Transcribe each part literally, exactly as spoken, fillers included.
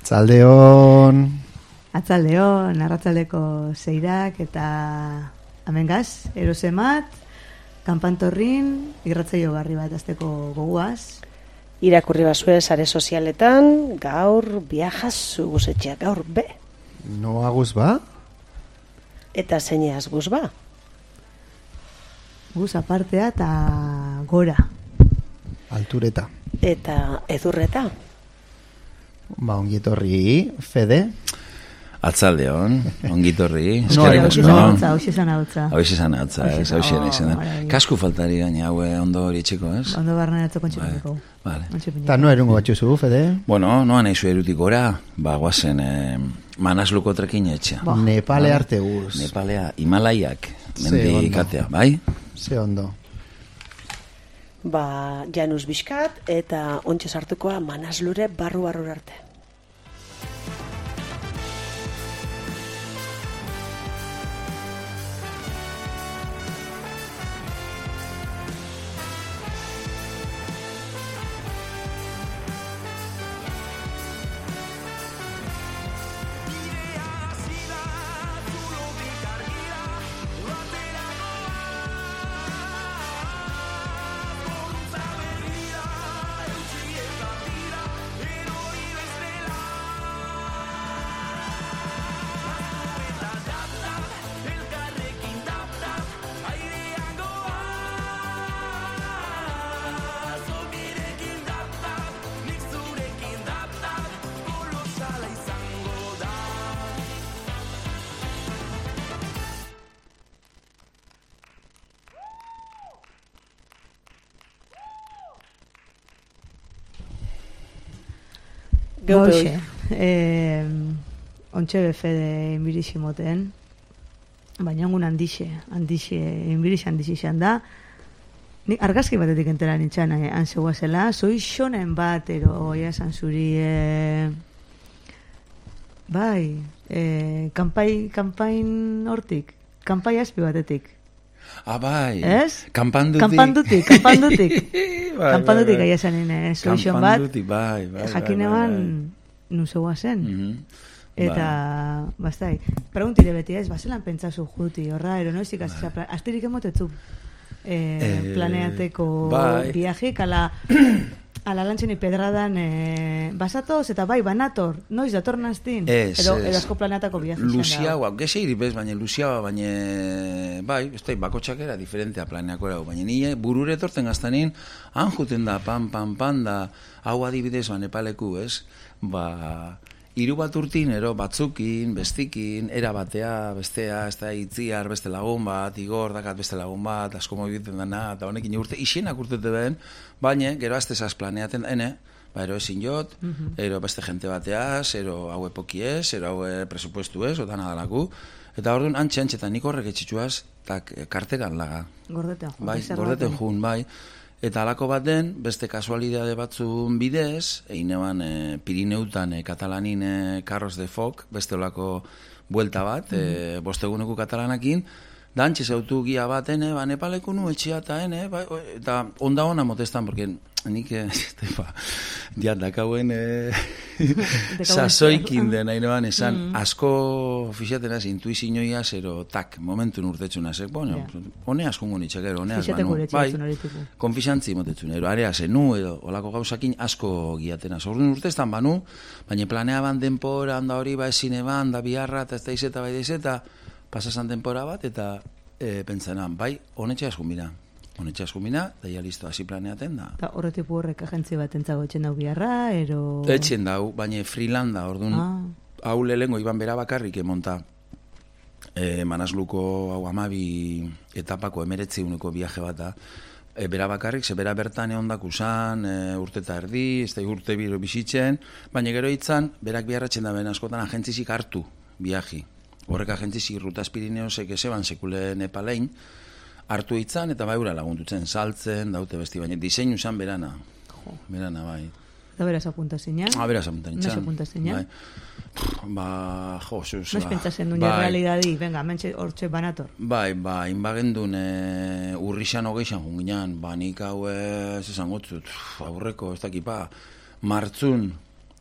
Atzaldeon. Atzaldeon, arratzaldeko zeirak eta amengaz, erosemat, kanpantorrin, irratzaio garri bat azteko goguaz. Irakurri bazue sare sozialetan, gaur viajas guzetxeak, gaur be. No aguz ba? Eta zeineaz guz ba? Guz apartea eta gora. Altureta. Eta edurreta. Ba, ongietorri, Fede. Atzaldeon, ongitorri. No, hauxe zan hautza, hauxe zan hautza. Hauxe zan hautza, ez, hauxe nahi zen. Kasku faltari gaina, haue ondo hori txeko, ez? Ondo barren atzoko kontxepineko. Vale. Ta no erungo batxuzu, Fede? Bueno, noa nahi zu erutik gora, ba, guazen eh, manasluko trekin etxea. Ba. Nepale arte guz. Nepalea, Himalaiak, mendikatea, bai? Ze ondo. Ba, Janus Bizkat eta ontsa sartukoa Manaslure barru-barru arte. Gauxe, eh, ontxe befe de inbirixi moten, baina ongun handixe, handixe, inbirixi handixe izan da, ni argazki batetik entera nintzen eh, anzegoa zela, zoi xonen bat, ero, esan zuri, eh, bai, eh, kanpai, kanpain hortik, kanpai azpi batetik. Ah, bai. Ez? Kampandutik. Kampandutik, kampandutik. Bai, Kampandutik bai, bai. aia zanin, eh, zoixon bat. Kampandutik, bai, bai. Jakin eban, nuzegoa zen. Mm-hmm. Eta, bai. Bastai, preguntire beti ez, bazelan pentsazu juti, horra, ero noizik, bai. Astirik emotetzu eh, eh, planeateko bai. Viajik, ala, ala lantxeni pedradan, eh, basatoz, eta bai, banator, noiz dator naztin, ez, edo, ez. edo asko planeatako viaje. Luziagoa, gese iripez, baina luziagoa, baina, bai, ez da, bakotxak era diferentea planeako erago, baina nire burure etortzen gaztanin, han juten da, pan, pan, pan, da, hau adibidez, ba, Nepaleku, ez, ba, hiru bat urtin, ero, batzukin, bestikin, era batea, bestea, ez da, itziar, beste lagun bat, igor, dakat beste lagun bat, asko mobiten dana, eta honekin urte, isienak urtete behen, baina, gero aztezaz planeaten, ene, ba, ero ezin jot, uh-huh. ero beste jente bateaz, ero hau epoki ez, ero hau presupuestu ez, otan adalaku, eta orduan, antxe, antxe, eta nik horrek etxitzuaz, tak, karteran laga. Gordeten jun. Bai, gordeten jun, bai. Eta alako baten, beste kasualidade batzun bidez, egin eban e, Pirineutan, e, Katalanin e, Carros de Foc, beste olako buelta bat, mm-hmm. e, bosteguneko katalanakin, da antxe zautu gia bat, ene, ba, Nepaleko nu etxea eta, ene, ba, eta onda hona motestan, porque nik, ba, diandakauen e, sasoikin den, nahi noan, esan, mm-hmm. asko fixatenaz, intuizinoia, zero, tak, momentun urtetxuna, zek, bueno, yeah. hone askungo nitxakero, hone asma, nu, bai, konfixantzi motetxun, ero, area zenu, edo, olako gauzakin asko giatenaz, orduan urtestan banu, baina planea ban denpora, handa hori, ba, esine ban, da biharra, eta ez da izeta, bai da izeta, pasasan denpora bat, eta e, pentsanan, bai, honetxe askumbina. Honetxe askumbina, daia listo, hasi planeaten da. Eta horretipu horrek agentzi bat entzago etxen dau biharra, ero... Etxen dau, baina freelanda, orduan, ah. hau lehengo iban bera bakarrik emonta, e, Manasluko hau amabi etapako emeretzi uneko viaje bata, e, bera bakarrik, ze bera bertan egon dakusan, e, urte eta erdi, ez da urte biro bizitzen, baina gero hitzan, berak biharratzen da ben askotan agentzizik hartu viaji. Horrek agentzizik Rutas Pirineosek ezeban sekule Nepalein, hartu hitzan eta baura lagundutzen, saltzen, daute besti, baina diseinu zan berana. Jo. Berana, bai. Eta beraz apunta zinean? Ah, beraz apunta nintzen. Noiz apunta zinean? Bai. Ba, jo, zuz. Noiz pentsatzen duen realidadi, venga, mentxe hortxe banator. Bai, ba, inbagendun e, urrixan hogeixan junginan, ba, nik hau ez esan gotzut, aurreko, ez dakipa, martzun,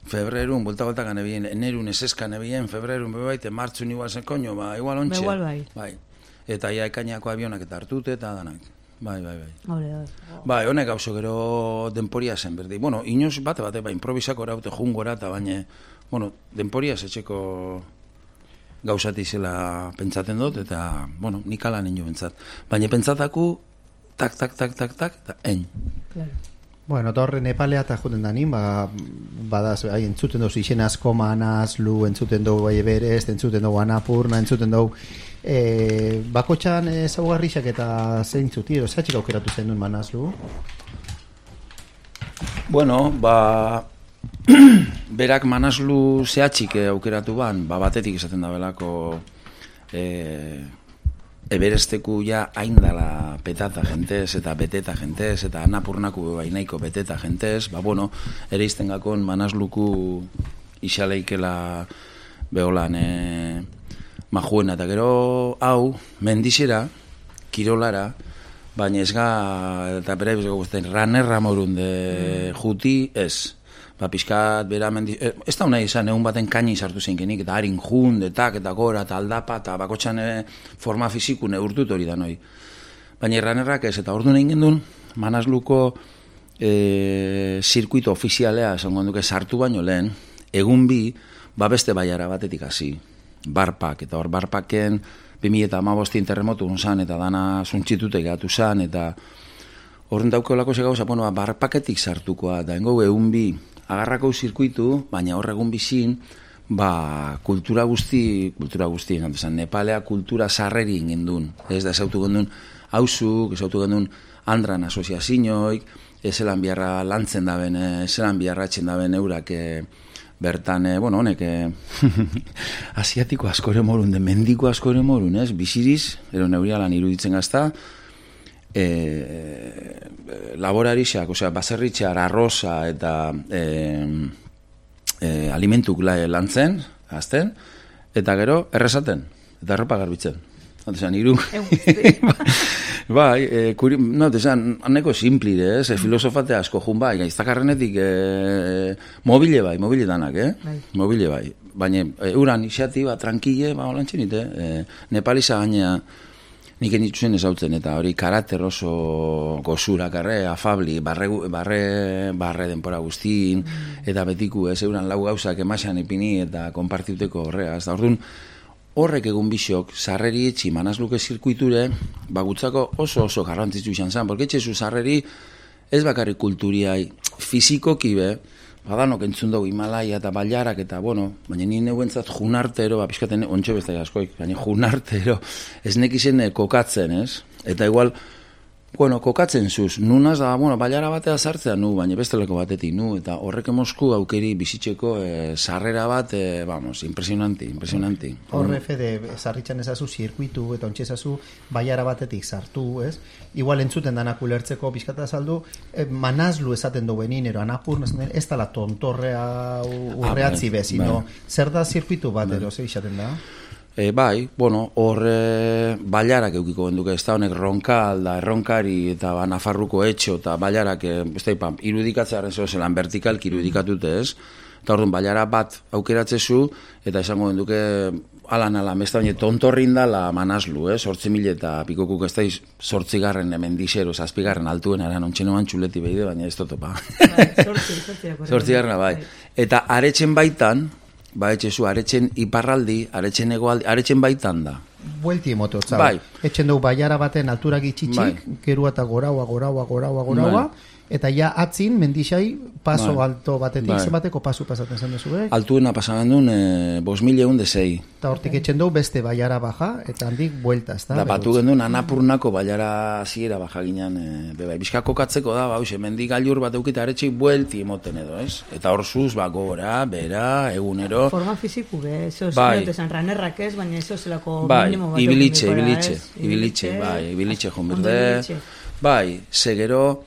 febrerun, bulta-bultaka nebien, enerun eseska nebien, febrerun bebaite, martzun igual zen koño, ba, igual ontxe. Igual bai. Bai. Eta ja ekainako avionak eta hartute eta danak. Bai, bai, bai. Hore, hore. Bai, honek gauzo gero denporia zen, berdi. Bueno, inoz bate bate, ba, improvisako eraute jungora, eta baina, bueno, denporia etxeko gauzati zela pentsaten dut, eta, bueno, nik ala nino pentsat. Baina pentsataku, tak, tak, tak, tak, tak, eta en. Claro. Bueno, eta horre Nepalea eta juten da nin, ba, badaz, hai, entzuten dugu izen asko Manaslu, entzuten dugu bai Everest, entzuten dugu Annapurna, entzuten dugu e, bakotxan ezaugarrixak eta zeintzuti, edo zehatxik aukeratu zen duen Manaslu? Bueno, ba, berak Manaslu zehatxik aukeratu ban, ba, batetik izaten da belako e, Everesteku ja haindala petata jentez eta beteta jentez eta Annapurnaku bainaiko beteta jentez, ba bueno, ere izten gakon Manasluku isaleikela beholan e, majuena, eta gero hau mendixera, kirolara, baina ez ga, eta bera ibizko guztien, ranerra morun de juti ez. Ba, pixkat, bera, mendi... Eh, ez da unai izan, egun baten kaini sartu zeinkenik, eta harin jun, detak, eta gora, eta aldapa, eta bakotxan eh, forma fiziku neurtut hori da noi. Baina erranerrak ez, eta ordu nahi gendun, Manasluko eh, zirkuito ofizialea, esango duke, sartu baino lehen, egun bi, ba beste baiara batetik hasi, barpak, eta hor barpaken, bi mila hamabostin terremotu unzan, eta dana zuntxitute gatu zan, eta horren daukeolako ze gauza, bueno, barpaketik sartukoa, eta engo egun bi, agarrako zirkuitu, baina hor egun bizin, ba, kultura guzti, kultura guzti, esan, Nepalea kultura sarreri ingindun. Ez da, esautu gendun hauzuk, esautu gendun andran asoziazioik, ezelan biharra lantzen daben, ezelan biharra etxen daben eurak, e, bertan, e, bueno, honek, e, asiatiko askore morun, de mendiko askore morun, ez, biziriz, ero neurialan iruditzen gazta, E, laborarixak, osea, baserritxar, arroza eta e, e, alimentuk lantzen, azten, eta gero errezaten, eta erropa garbitzen. Otesan, iruk. Bai, e, kuri, no, otesan, aneko simplire, ez, e, filosofate asko jun bai, gaiztakarrenetik e, mobile bai, mobile danak, eh? Bai. Mobile bai. Baina, e, uran, isiati, ba, tranquille, ba, olantxen ite, e, Nepalisa gaina, nik enitzuzen ezautzen, eta hori karakter oso gozurak, arre, afabli, barre, barre, barre denpora guztin, eta betiku, ez euran lau gauzak emaxan ipini eta konpartiuteko horrea. Ez da, orduan, horrek egun bisok, sarreri etxi Manasluke zirkuiture, bagutzako oso oso garrantzitsu izan zen, porque etxezu sarreri ez bakarrik kulturiai, fizikoki be, badanok entzun dugu Himalaia eta bailarak eta, bueno, baina ni neuentzat junartero, ba, pixkaten ontxe bestai askoik, baina junartero, ez nekizen kokatzen, ez? Eta igual, bueno, kokatzen zuz, nunaz da, bueno, bailara batea sartzea nu, baina besteleko batetik nu, eta horrek emosku aukeri bizitzeko e, sarrera bat, e, vamos, impresionanti, impresionanti. Horre fede, sarritxan ezazu zirkuitu eta ontxe ezazu baiara batetik sartu, ez? Igual entzuten danak ulertzeko pixkata azaldu, eh, Manaslu esaten duenin, ero Annapurna esaten, ez dala tontorrea urreatzi bez, sino zer da zirkuitu bat, ero, zer izaten da? E, bai, bueno, hor e, bailarak eukiko genduke, ez da honek ronkal, da erronkari eta ba, Nafarruko etxo eta bailarak, e, ez da ipan, irudikatzearen zeo zelan vertikalki irudikatute ez, eta orduan bailara bat aukeratzezu, eta esango genduke alan alan, ez da baina tontorrin dala Manaslu, ez, sortzi mil eta pikokuk ez da sortzigarren hemen dixero, zazpigarren altuen eran ontxenoan txuleti behide, baina ez totopa. Sortzigarrena, bai. Eta aretzen baitan, ba, etxezu, aretzen iparraldi, aretzen egoaldi, aretzen baitan da. Buelti emoto, zau. Bai. Etxen dugu baiara baten altura gitxitxik, bai. Gerua eta goraua, goraua, goraua, goraua, bai. Eta ja atzin, mendixai, paso bai. Alto batetik, bai. Zebateko pasu pasaten zen duzu, eh? Altuena pasatzen duen, e, bos mil egun de zei. Eta hortik etxen dugu beste baiara baja, eta handik buelta, ez da? Da, batu genduen Annapurnako baiara ziera baja ginen, e, beba, bizka kokatzeko da, ba, mendik gailur bat eukita aretxik buelti emoten edo, ez? Eta hor zuz, ba, gora, bera, egunero. Forma fiziku, be, eso bai. Esan ranerrak ez, baina eso zelako bai. Minimo bat. Ibilitxe, ibilitxe, ibilitxe, bai, ibilitxe jonbirde. Bai, segero,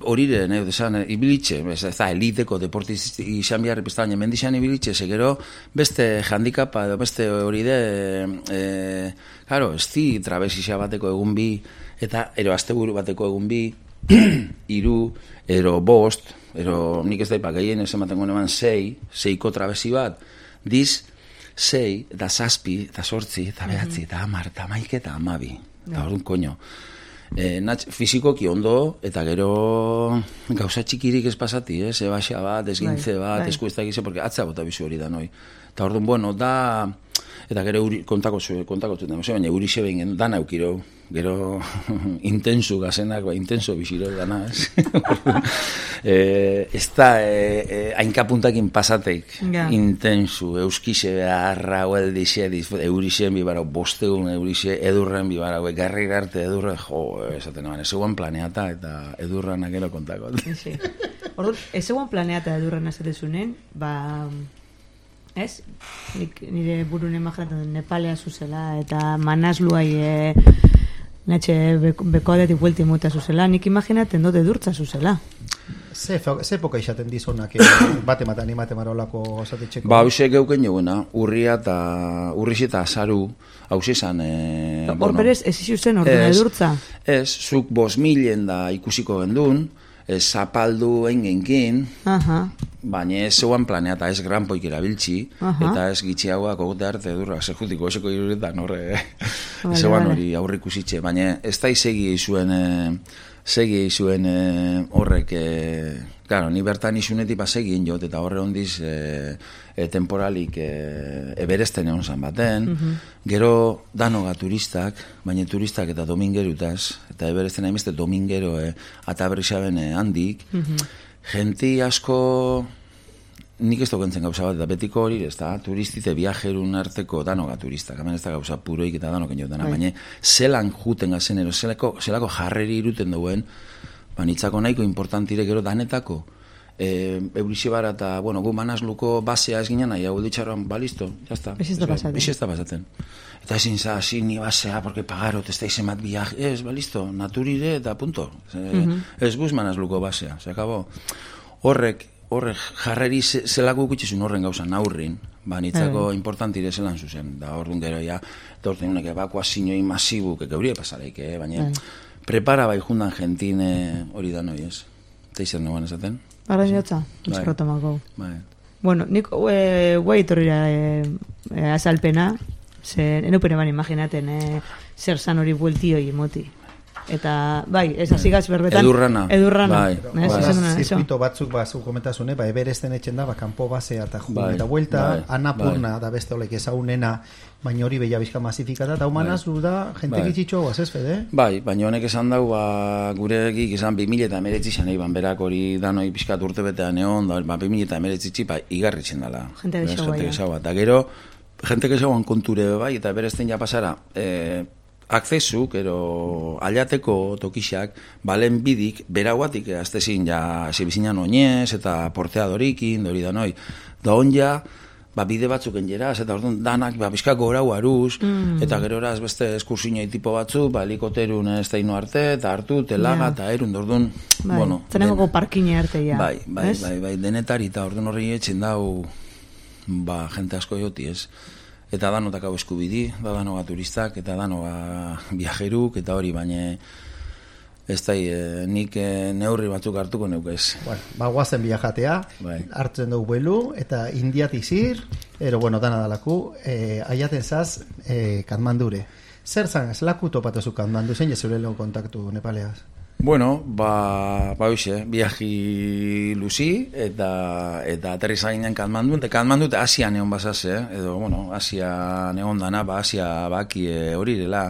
horiren, eh, desan, ibilitxe, ez da, eliteko deportiz izan behar epizta, baina mendixan ibilitxe, segero, beste handikapa, edo beste hori de, e, claro, ez di, trabezisa bateko egun bi, eta ero asteburu bateko egun bi, iru, ero bost, ero nik ez daipak gehien ez ematen gonean sei, seiko trabezi bat, diz, sei, eta zazpi, eta sortzi, eta behatzi, eta amar, eta maik, eta amabi. Eta orduan, koño. E, natx, fizikoki ondo, eta gero gauza txikirik ez pasati, ez? Ebaxa bat, ezgintze bat, esku ez da egize, porque atza bota bizu hori da, noi. Eta orduan, bueno, da... Eta gero uri, kontako zuen, kontako zuen, baina uri xeben gen, dana eukiro, gero intensu gazenak, ba, intenso biziro dana, ez? e, ez da, e, e, hainkapuntakin pasateik, yeah. Intensu, euskize beharra, hueldixe, eurixen bibarau, bostegun eurixe, edurren bibarau, garri garte edurre, jo, esaten naban, ez eguan planeata eta edurranak gero kontako. Sí. Orduan, ez eguan planeata edurren azatezunen, ba... Ez? Nik, nire burun imaginatzen Nepalea zuzela eta manazluai e, natxe beko adetik buelti muta zuzela, nik imaginaten dut edurtza zuzela. Ze, ze poka izaten dizonak bate matan imate marolako zatetxeko? Ba, hause geuken joguna, urria eta urriz eta azaru hause zan... E, Hor bueno, berez, ez izu zen ordena edurtza? Ez, zuk bos milen da ikusiko gendun, ez zapaldu engenkin, baina ez zeuan planea eta ez granpoik erabiltzi, eta ez gitxiagoak ogote arte edurra, zer jutiko eseko iruretan horre, ez zeuan hori aurrik usitxe, baina ez da izegi izuen, segi izuen horrek, claro, ni bertan izunetik pasegin jot, eta horre hondiz e, temporalik e, eberesten egon zan baten, gero danoga turistak, baina turistak eta domingerutaz, eta eberesten hainbeste domingero e, ataberrizaben e, handik, genti asko, nik ez dokentzen gauza bat, eta betiko hori, ez da, turistite viajerun arteko danoga turistak, hemen ez da gauza puroik eta danoken jotena, baina zelan juten gazenero, zelako, zelako jarreri iruten duen, banitzako nahiko importantire gero danetako, e, eurixibara eta, bueno, gu manazluko basea ez ginen nahi, hau ditxarroan, ba, listo, jazta. Bixi ez da pasaten. Eta ezin za, si, ni basea, porque pagarot, ez da izemat viaje, ez, ba, listo, naturire eta punto. E, uh-huh. Ez guz manazluko basea, se acabó. Horrek, horrek jarreri zelako ukitxizun horren gauzan aurrin, ba, nitzako uh-huh. importantire zelan zuzen, da orduan gero ja, eta orduan unek evakuazinoi masibuk, eke haurie pasareik, eh, baina... Uh-huh. Prepara bai jundan jentine hori da noi, ez? Teizer noan esaten? Arrain jatza, eskerrotamako. Bai. Bueno, nik guai torrira e, e, azalpena, ze enupene ban imaginaten e, zer zan hori bueltioi emoti. Eta, bai, ez azigaz berbetan... Edurrana. Edurrana. Bai. Zirkuito batzuk batzuk komentazune, ba, eberesten etxen da, ba, kanpo basea eta jun, eta vuelta, bai. Anapurna bai. Da beste olek ezagunena, baina hori beha bizka masifikata, eta humanaz bai. Da, jente bai. Gitxitxo guaz, ez, Fede? Bai, baina honek esan dau, ba, gure egik izan bi mila eta emeretzi zan egin, berak hori danoi pixkat urte betean egon, da, ba, bi mila eta emeretzi txipa igarritzen dala. Jente gehiagoa. Eta gero, jente gehiagoan konture bai, eta eberesten ja pasara, eh, akzesuk, ero aliateko tokixak, balen bidik, berauatik, aztezin, ja, zebizinan oinez, eta porteadorikin, dori da noi, da on ja, ba, bide batzuk engeraz, eta orduan danak, ba, bizkak gorau aruz, mm. eta gero eraz beste eskursinoi tipo batzu, ba, helikoterun ez da ino arte, eta hartu, telaga, eta yeah. erun, orduan, bai. Bueno. Zenengoko parkine arte, ja. Bai, bai, es? bai, bai, denetari, eta orduan horri etxen dau, ba, jente asko joti, ez? Eta danotak hau eskubidi, da danoga turistak, eta danoga viajeruk, eta hori, baina ez da, e, nik e, neurri batzuk hartuko neukez. Bueno, ba, guazen viajatea, bai. Hartzen dugu belu, eta indiatik zir, ero, bueno, dana dalaku, e, aiaten zaz, e, Katmandure. Zer zan, ez laku topatuzu Katmandu, zein jezure lehen kontaktu Nepaleaz? Bueno, ba, ba hoxe, viaji luzi, eta, eta aterriza ginen Katmandu, eta Katmandu eta Asia neon basaz, eh? Edo, bueno, Asia neon dana, ba, Asia baki e, hori dela.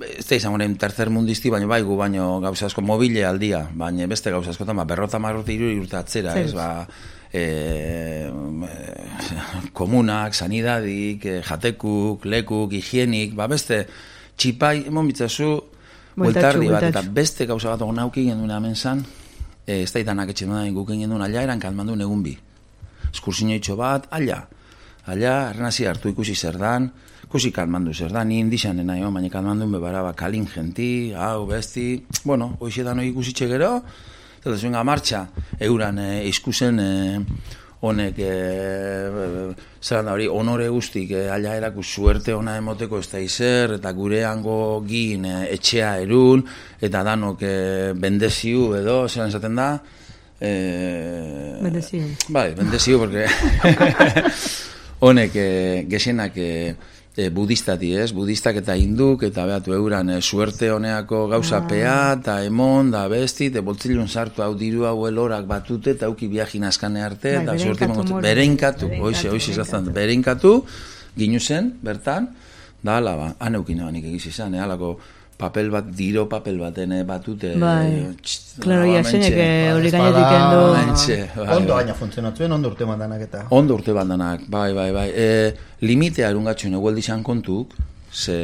Ez da izan horrein tercer mundisti, baina bai gu baino gauza asko mobile aldia, baina beste gauza askotan, ba, berrota marrote iruri urte atzera, ez, ba, e, e, komunak, sanidadik, e, jatekuk, lekuk, higienik, ba, beste txipai, emon bitzazu, bueltardi bat, eta beste gauza bat ogon auki gendun hemen zan, e, ez da itanak etxen duen guken gendun ala, eran Katmandu egun bi. Eskursinioitxo bat, ala, ala, errenazi hartu ikusi zer dan, ikusi Katmandu zer dan, ni indixan nahi, baina Katmandu bebara, ba, kalin genti, hau, besti, bueno, hoixetan hori ikusitxe gero, eta zuen martxa, euran e, iskusen, e, honek, e, zer da hori, honore guztik, e, ala eraku suerte ona emoteko ez da izer, eta gure hango gin e, etxea erun, eta danok e, bendeziu edo, zelan esaten da, Eh, bendezio. Bai, bendezio, porque honek eh, gesenak eh, eh, budistati, ez? Budistak eta hinduk, eta behatu euran eh, suerte honeako gauzapea, eta emon, da besti, eta boltzilun sartu hau diru hau elorak batute, eta auki viajin askane arte, eta suerte imango bereinkatu, hoize, hoize izaztan, bereinkatu, ginu zen, bertan, da ala, ba, aneukin abanik egiz izan, eh, alako papel bat, diro papel baten batute. Bai, klaro, jasenek hori gainetik endo. Ondo gaina funtzionatzuen, ondo urte bandanak eta. Ondo urte bandanak, bai, bai, bai. E, limitea erungatxuen egueldi izan kontuk, ze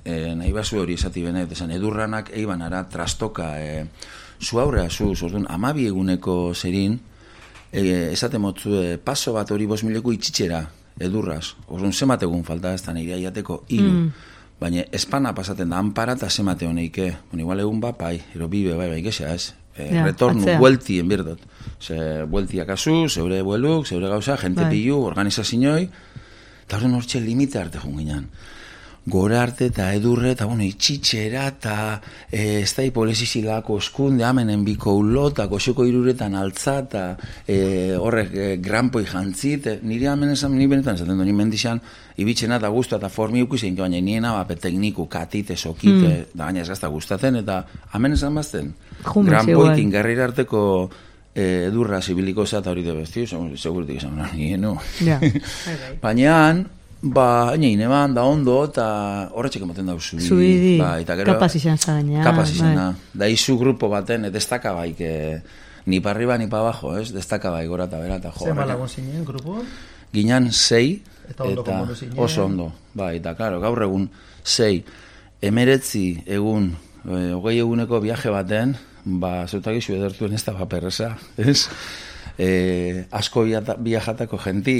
e, nahi basu hori esati benet, esan edurranak eiban ara trastoka, e, zu aurrea zu, zordun, amabi eguneko zerin, e, esate motzu, e, paso bat hori bos mileko itxitxera, edurraz, orduan zemat egun falta ez da nire aiateko hiru. Mm. Baina espana pasaten da, anpara eta zemate honeike. Bueno, igual egun bat, bai, ero bibe, bai, bai, gesa, ez? E, ja, retornu, buelti, enbirdot. Ze, bueltiak azu, zeure bueluk, zeure gauza, jente bai. Pilu, organizazinoi, eta horren hortxe limite arte junginan. Gora arte eta edurre, eta bueno, itxitxera, eta e, ez da hipolesizilako eskunde, amenen biko ulo, eta goxoko iruretan altza, eta e, horrek e, granpoi jantzit, e, nire amen esan, nire benetan esaten du, nire mendixan, ibitzena eta guztu eta formiuku zein, baina niena, bape tekniku, katite, sokite, mm. da baina ez gazta gustatzen, eta amen esan bazten, granpoikin garrira arteko e, edurra zibiliko eta hori de bestio, segurtik esan, nire, no. Ja. Baina, ba, hain eban, da ondo, eta horretxek ematen dauz zubi. Zubidi, ba, kapaz izan zagaina. Kapaz izan, da izu grupo baten, destaka baik, e, ni pa arriba, ni pa abajo, ez? Destaka baik, gora eta bera, eta jo. Zer malagon zinen, grupo? Ginan sei, eta, ondo eta oso ondo, ba, eta, klaro, gaur egun, sei, emeretzi egun, e, hogei eguneko viaje baten, ba, zeutak izu edertuen ez da paperreza, ez? Eh, asko viajatako genti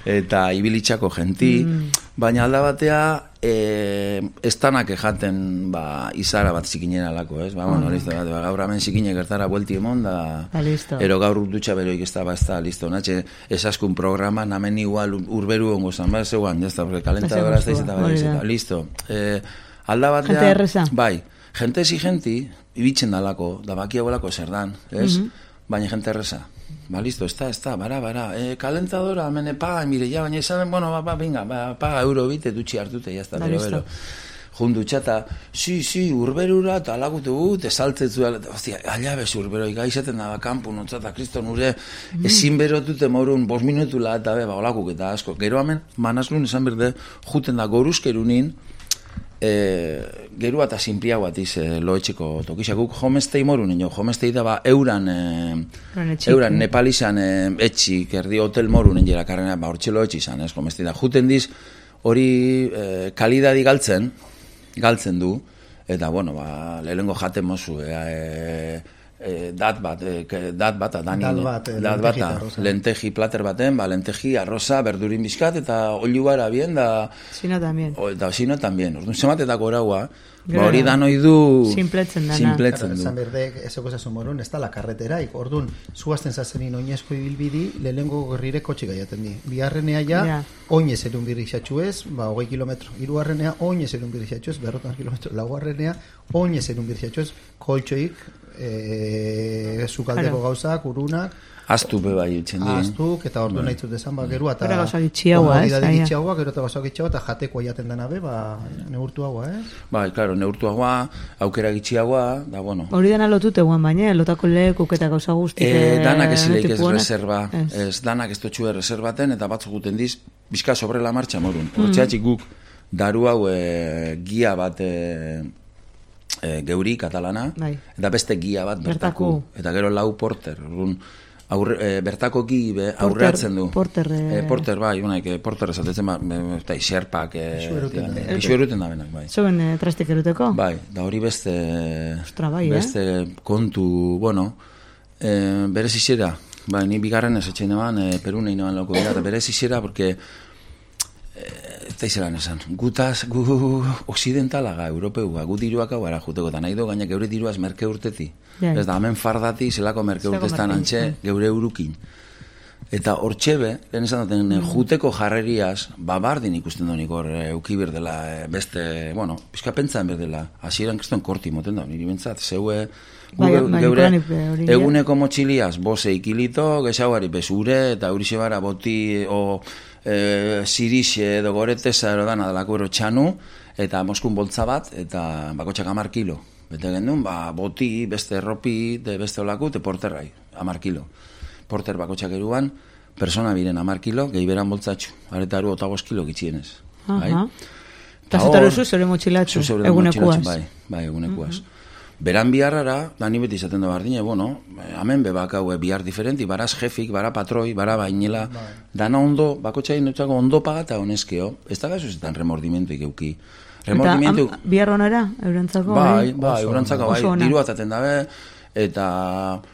eta ibilitzako genti mm. baina alda batea eh, estanak ejaten ba, izara bat zikinera lako, ez? Ba, bueno, mm. listo, ba, gaur hemen zikine gertara buelti emon da, da ero gaur dutxa beroik ez da, ba, ez da, listo, natxe esaskun programa, namen igual urberu ongo zan, ba, zeuan, ez da, kalentadora ez da, izeta, ba, izeta, listo eh, alda batea, bai, jente ezi genti, ibitzen dalako, da baki hauelako zer dan, ez? Mm-hmm. Baina jente erreza. Ba, listo, ez da, ez da, bara, bara, e, kalentadora, mene, paga, mire, ja, baina esan, bueno, ba, ba, binga, ba, paga euro bite, dutxi hartute, jazta, bero, bero. Jundu txata, si, si, urberura, eta alagutu gut, esaltzetzu, hostia, alabez urbero, ikaizaten da, kanpu, notzata, kriston, ure, mm. ezin berotute morun, bos minutula, eta be, ba, olakuk eta asko. Gero hemen, manazlun esan berde, juten da, goruzkerunin, E, gerua eta sinplia bat iz e, loetxeko tokisa. Guk homestei morun, ino, homestei da ba euran, e, euran nepalizan e, etxik, erdi hotel morun enjera karrena, ba hortxe loetxi izan, ez, homestei da. Juten diz, hori e, kalidadi galtzen, galtzen du, eta, bueno, ba, lehengo jaten mozu, e, e, dat bat, e, dat bat, adani, dat bat, e, dat bat, lenteji plater baten, ba, lenteji, arroza, berdurin bizkat, eta oliu gara bien, da... Sino también. O, da, sino también. Orduan, zematetako eraua, ba, hori da noi du... Simpletzen dana. Simpletzen du. Zan berdek, ezeko zazu morun, ez da la karreteraik. Orduan, zuazten zazenin oinezko ibilbidi, lehengo gerrire kotxe gaiaten di. Biharrenea ja, yeah. Oinez erun birrixatxu ez, ba, hogei kilometro. Hirugarrenea, oinez erun birrixatxu ez, berrotan kilometro. Laugarrenea, oinez erun birrixatxu ez, koltxoik, e, zukaldeko claro. Gauzak, urunak, Aztu beba itzen di. Aztuk, eta ordu nahi zut esan, ba, gerua, eta... Gero gauza gitxiagoa, ez? Gitxiagoa, gero eta gauza gitxiagoa, eta jateko aiaten dena be, ba, neurtuagoa, ez? Bai, klaro, neurtuagoa, aukera gitxiagoa, da, bueno... Hori dana lotute guan baina, lotako lekuk eta gauza guztik... E, danak ez leik ez reserva, ez danak ez totxue reservaten, eta batzuk guten diz, bizka sobre la marcha morun. Mm. Hortxeatxik guk, daru hau e, gia bat... E, E, geuri katalana, bai. Eta beste gia bat bertaku, bertaku. Eta gero lau porter, urrun, aurre, e, bertako gi be, aurreatzen du. Porter, e... E, porter, bai, unaik, e, porter esatetzen, ba, eta iserpak, isu eruten da benak, bai. Zoen e, trastik eruteko? Bai, da hori beste, Ostra, bai, beste eh? kontu, bueno, e, berez izera, bai, ni bigarren ez etxein eban, e, Perune inoan loko gara, eta berez izera, porque... Eta izelan esan, gutaz, gu occidentalaga, europeua, gu diruak hau gara juteko, eta nahi do, gaina geure diruaz merke urteti. Yeah. Ez da, hemen fardati, zelako merke urteztan antxe, geure eurukin. Eta hortxebe, lehen esan daten, mm. juteko jarreriaz, babardin ikusten donik hor, euki berdela, beste, bueno, pizka pentsan berdela, hasieran kriston korti moten da, niri bentsat, zeue, Bai, bai, geure nik hori, ja. eguneko motxiliaz, bose ikilito, gehiagari bezure, eta hori bara boti, o e, sirixe edo goreteza ero dana dalako ero txanu, eta Moskun boltza bat, eta bakotxak amar kilo. Bete gendun, ba, boti, beste erropi, de beste olako, te porterrai, amar kilo. Porter bakotxak eruan, persona biren amar kilo, gehi beran boltzatxu. Aretaru otagos kilo gitxienez. Bai? Eta zutaru zu zeure motxilatxu, egunekuaz. Bai, bai, egunekuaz. Uh-huh. Beran biharrara, da ni beti izaten da bardine, bueno, hemen bebak hau bihar diferenti, baraz jefik, bara patroi, bara bainela, bai. Dana ondo, bakotxain nutzako ondo pagata honezkeo, ez da gazuzetan remordimentuik euki. Remordimentu... Eta bihar honara, eurantzako? Bai, bai, eurantzako, bai, diru ataten dabe, eta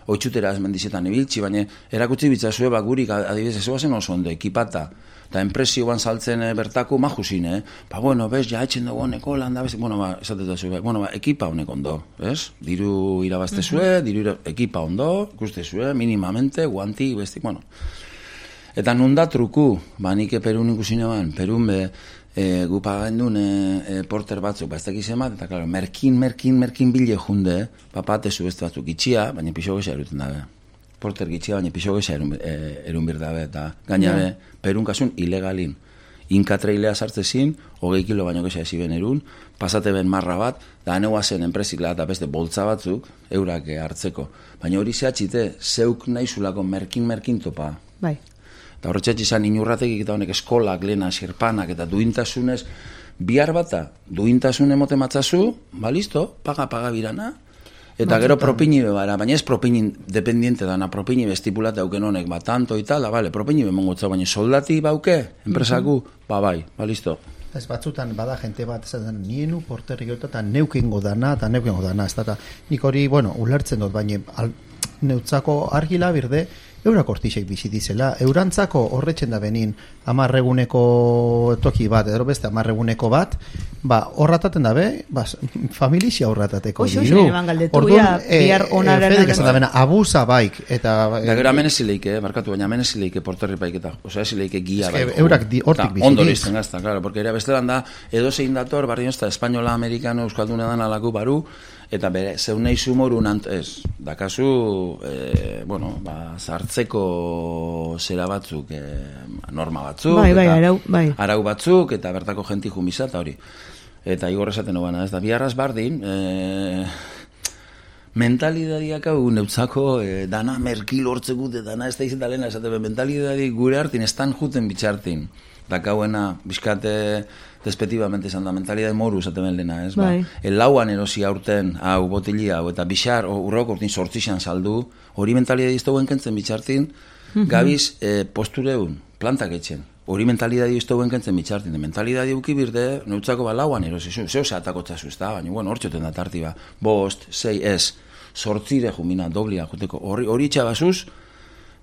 oitxutera ez mendizetan ibiltzi, baina erakutsi bitzazue bakurik adibidez ez oazen oso ondo, ekipata. Eta enpresioan saltzen e, bertako majuzin, eh? Ba, bueno, bez, ja, etxen dugu honeko, landa, bez, bueno, ba, esatetu zuen, bueno, ba, ekipa honek ondo, bez? Diru irabazte zue, uh-huh. diru ira, ekipa ondo, ikuste zue, minimamente, guanti, bestik, bueno. Eta nunda truku, ba, nike Perun ikusin eban, Perun be, e, gupa gendun e, e, porter batzuk, ba, ez dakiz emat, eta, klaro, merkin, merkin, merkin bile junde, ba, patezu beste batzuk itxia, baina pixo gesa eruten dabe. Porter gitxia, baina pixo gesa erun, e, erun birdabe, eta gainabe, yeah. Perun kasun ilegalin. Inkatreilea sartzezin, hogei kilo baino gesa esiben erun, pasate ben marra bat, da aneua zen enpresikla eta beste boltza batzuk, eurak hartzeko. Baina hori zehatxite, zeuk naizulako merkin-merkin topa. Bai. Eta horretxatxe izan inurratekik eta honek eskolak, lena, xerpanak eta duintasunez, bihar bata, duintasun emote matzazu, ba listo, paga-paga birana, eta gero propini bebara, baina ez propini dependiente dana, propini bestipulate hauken honek, ba, tanto eta, da, bale, propini bemongotza, baina soldati bauke, enpresaku, uh-huh. ba, bai, ba, listo. Ez batzutan, bada jente bat, ez da, nienu porterri gota, eta neukengo dana, eta neukengo dana, ez da, nik hori, bueno, ulertzen dut, baina, al, neutzako argila birde, eurak hortixek bizitizela, eurantzako horretxen da benin amarreguneko toki bat, edo beste amarreguneko bat, ba, horrataten dabe, ba, familizia horratateko diru. Orduan, bihar onaren... Fedik esan da bena, abusa baik, eta... Da, gero amen ezileike, barkatu, baina amen ezileike porterri paiketa, oza, ezileike gia baik. Eurak hortik bizitiz. Ondo lizten gazta, claro, porque era bestelan da, edo zein dator, barri nozta, espainola, amerikano, euskalduna dan alaku baru, eta bere, zeunei sumorun ant, ez, dakazu, e, bueno, ba, zartzeko zera batzuk, e, norma batzuk, bai, bai, eta arau, bai. arau batzuk, eta bertako jenti jumisa, eta hori. Eta igor esaten hobana, ez da, biharraz bardin, e, mentalidadiak hau neutzako, e, dana merkil hortzekut, dana ez da izan dalena, esate, mentalidadi gure hartin, estan juten bitxartin. Dakauena, bizkate, despetibamente izan da, mentalidade moru esaten lena, ez? Bai. Ba, el lauan erosi aurten, hau, botilia, hau, eta bixar, urrok urtin sortzixan saldu, hori mentalidade iztoguen kentzen bitxartin, uh-huh. gabiz e, postureun, plantak etxen. Hori mentalidade iztoguen kentzen bitxartin, de mentalidade uki birde, neutzako ba lauan erosi, zeu zehatako txasu, ez da, baina, bueno, hor txoten da tarti ba, bost, sei, ez, sortzire jumina, doblia, joteko, hori, hori txabazuz,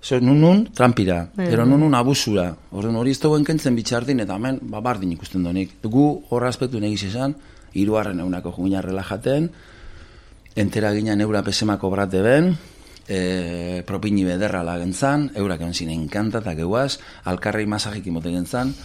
so, nun nun trampira, ero nun nun abusura. Orduan hori ez dagoen kentzen bitxartin, eta hemen ba, bardin ikusten donik. Gu horra aspektu negiz esan, hiruarren eunako jumina relajaten, entera ginen eura pesemako brate ben, e, propini bederra lagentzan, eurak entzin enkanta eta geuaz, alkarrei masajik imote gentzan,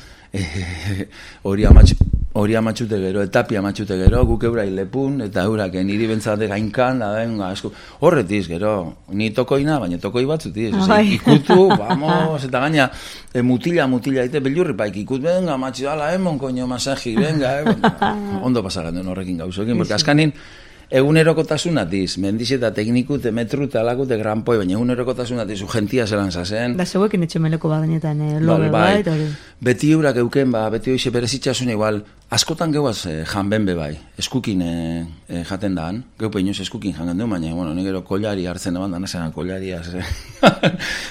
hori e, amatxu, hori amatxute gero, etapi amatxute gero, guk eurai lepun, eta euraken niri bentsate gainkan, da benga, esku, horretiz, gero, ni tokoina, baina tokoi batzutiz, ah, ikutu, vamos, eta gaina, e, mutila, mutila, ite, bellurri paik, ikut, benga, amatxi, ala, emon, koño, masaji, benga, eh, ondo pasagan den horrekin gauzokin, porque askanin, egunerokotasunatiz, mendiz eta tekniku, te metru, te alaku, te granpoi, baina egunerokotasunatiz, ugentia zelan zazen. Da, zeuekin etxemeleko badenetan, eh, lobe bai, bai, beti eurak euken, ba, beti hoize berezitxasun igual, askotan geuaz eh, janben be bai, eskukin eh, eh, jaten daan, geupe inoz eskukin jangen du, baina, bueno, negero kollari hartzen eban, dana zelan kollaria,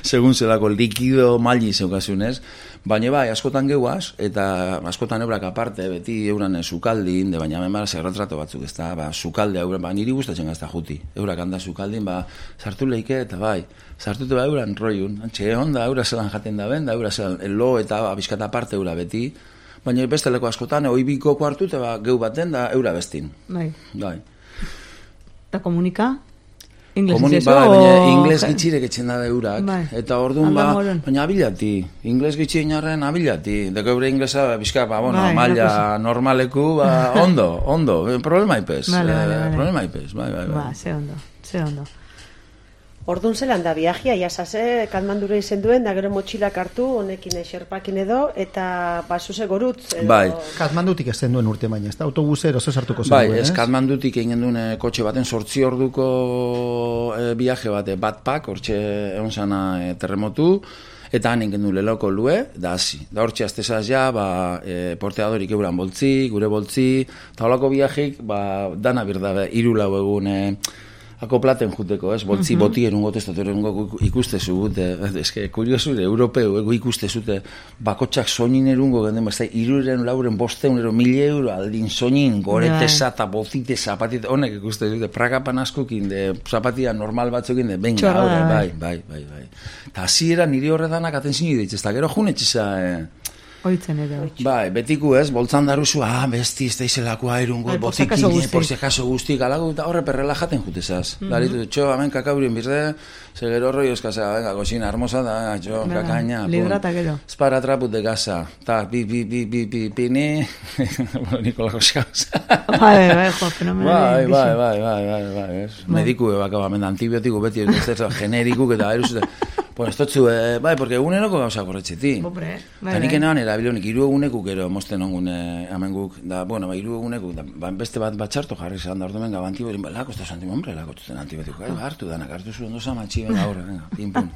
segun zelako likido maili zeukasunez, baina bai, askotan geuaz, eta askotan eurak aparte, beti euran sukaldin, de baina hemen bara zerretrato batzuk, ez da, ba, sukalde, euran, ba, niri gustatzen gazta juti, eurak handa sukaldin, ba, sartu leike, eta bai, sartutu ba euran roiun, antxe, onda, eura zelan jaten da ben, da eura zelan, lo eta bizkata aparte eura beti, baina besteleko askotan, oibiko kuartu, eta ba, geu baten da eura bestin. Bai. Bai. Eta komunika? Ingles Komuni, itxezo? Bai, baina ingles gitxirek etxen da eurak. Bai. Eta orduan, ba, baina abilati. Ingles gitxi inarren abilati. Deko eure inglesa, bizka, ba, bueno, bai, malla normaleku, ba, ondo, ondo. Problema ipez. Vale, vale, eh, vale. Problema ipez, bai, bai, bai. Ba, ze ondo. Ze ondo. Ordun zelan da viajea, jasase, Katmandura izen duen, da gero motxilak hartu, honekin xerpakin edo, eta basuse gorutz. Edo... Bai. Katmandutik ez den duen urte baina, ez da autobusero ze sartuko zen Bai, duen, ez Katmandutik egin duen eh, kotxe baten sortzi orduko eh, viaje bate, batpak, hortxe egon zana eh, terremotu, eta han egin du leloko lue, da hasi. Da hortxe aztezaz ja, ba, e, porteadorik euran boltzi, gure boltzi, eta holako viajik, ba, dana birda, hiru lau egun, e, akoplaten juteko, ez? Boltzi uh-huh. boti erungo testatu erungo ikuste zute, eske, kuriosure, europeu, ego ikuste zute, bakotxak soinin erungo, genden, ez da, iruren, lauren, bosteun, ero, mil euro, aldin soinin, goretesa, eta botite, zapatite, honek ikuste zute, pragapan askokin, de, zapatia normal batzukin, de, venga, aurre, bai, bai, bai, bai, bai. Eta hasiera niri horretanak atentzini ditz, eta gero junetxiza, eh, Oitzen ere. Bai, betiku ez, boltzan daruzu, ah, besti, ez da izelakoa erungo, botikin, por si acaso guztik, alago, eta horre perrela jaten jutezaz. Mm -hmm. Daritu, txo, hemen kakaurin birde, ze gero roi euskazea, venga, kosina, hermosa da, txo, kakaina. Librata gero. Espara traput de casa, ta, bi, bi, bi, bi, bi, pini, Nikolako xauz. Bai, bai, jo, fenomeno. Bai, bai, bai, bai, bai, bai, mediku, baka, bamen, antibiotiku, beti, generikuk, eta eruzute. Bueno, estotzu, eh, bai, porque eguneroko gauza korretxeti. Bopre, bai, bai. Nik enean erabilonik, iru egunekuk ero mosten ongun eh, amenguk, da, bueno, ba, iru egunekuk, da, ba, beste bat batxarto jarri zan da ordu menga, antibiotik, ba, lako, ez da santim, hombre, lako, ez da antibiotiko, eh, hartu danak, hartu zuen doza matxi, venga, horre, venga, pin, pun.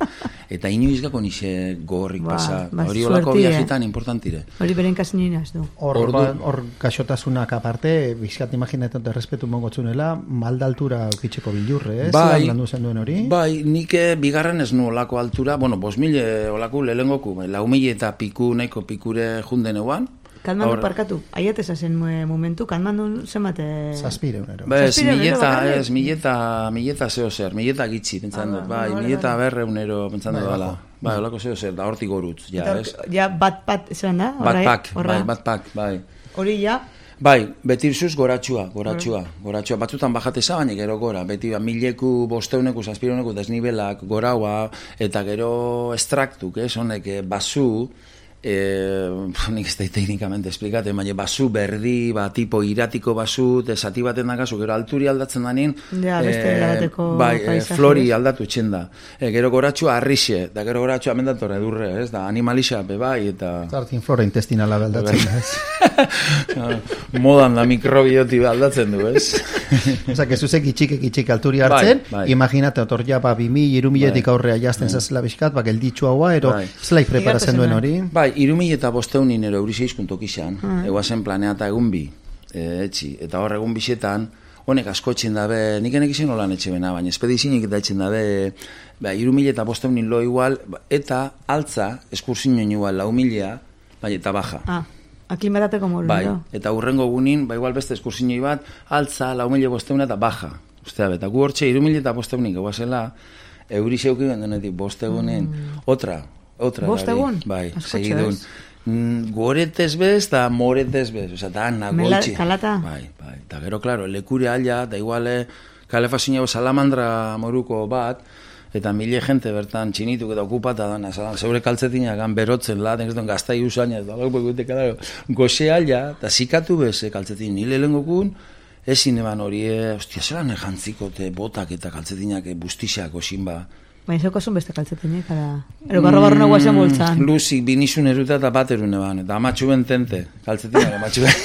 Eta inoizgako nixe gogorrik pasa, hori olako viajetan importantire. Hori beren kasinin az du. Hor, ba, hor gaxotasunak aparte, bizkat imaginetan errespetu mongotzunela, malda altura eukitxeko bilurre, ez? Bai, landu zen duen hori? Bai, nik bigarren ez nu olako altura, bueno, bos mile olaku lehengoku, lau mile eta piku, nahiko pikure junden eguan. Kalmandu parkatu, aiateza zen momentu, kalmandu zenbate... Zazpire unero. Bez, mileta, ez, mileta, mileta zeo zer, mileta gitzi, pentsan dut, bai, mileta berre unero, pentsan dut dala. Bai, olako zeo zer, da hortik gorutz, ja, ez? Ja, bat-pat, zelan da? Bat-pak, bai, bat-pak, bai. Hori ja... Bai, beti irzuz goratxua, goratxua, goratxua. Batzutan bajateza, baina gero gora. Beti ba, mileku, bosteuneku, zazpironeku, desnibelak, goraua, eta gero estraktuk, ez, honek, basu, eh, nik ez da teknikamente esplikate, baina basu berdi, ba, tipo iratiko basu, esati baten dakazu, gero alturi aldatzen danin, ja, beste eh, bai, eh, flori aldatu txenda. Eh, gero goratxua arrixe, da gero goratxua amendatorre edurre, ez, da animalixa, be bai, eta... Zartin flora intestinala aldatzen, ez? Modan da mikrobioti aldatzen du, ez? Osa, que zuzek itxik itxik alturi hartzen, bai, bai. Imaginate, otor ja, ba, bimi, irumiletik bai. Aurrea jazten bai. Zazela bizkat, ba, gelditxu haua, ero, bai. Zelaik preparatzen duen hori? Bai, irumile eta bosteunin ero euriseizkuntok izan, mm. eguazen planea eta egun bi, e, etxi, eta hor egun bisetan, honek asko etxen dabe, nik enek izan holan etxe bena, baina espedizinik eta etxen dabe, ba, irumile eta bosteunin lo igual, eta altza, eskursiñoen igual, lau milea, baina eta baja. Ah. Aklimatateko moru, bai, eta hurrengo gunin, ba igual beste eskursinoi bat, altza, lau mila bosteuna eta baja. Ustea, eta gu hortxe, iru mila eta bosteunik, eguazela, euri xeuki gendenetik, bostegunin, mm. otra, otra. Bostegun? Bai, segidun. Mm, goretez bez, eta moretez bez, oza, eta nagoltxi. Kalata? Bai, bai, eta gero, klaro, lekure alia, da iguale, kalefazioa salamandra moruko bat, eta mile gente bertan txinituk eta okupata dana, zeure kaltzetinak berotzen la, den ez duen gaztai usaina, goxe alia, eta zikatu bez kaltzetin nile lehengokun, ezin eban hori, ostia, zelan ejantziko te botak eta kaltzetinak bustixak osin ba. Baina zeko zun beste kaltzetinek, ara... Ero barro barro nagoa zen boltzan. Luzik, binizun eruta eta bat erune ban, eta amatxu ben tente, kaltzetinak amatxu ben.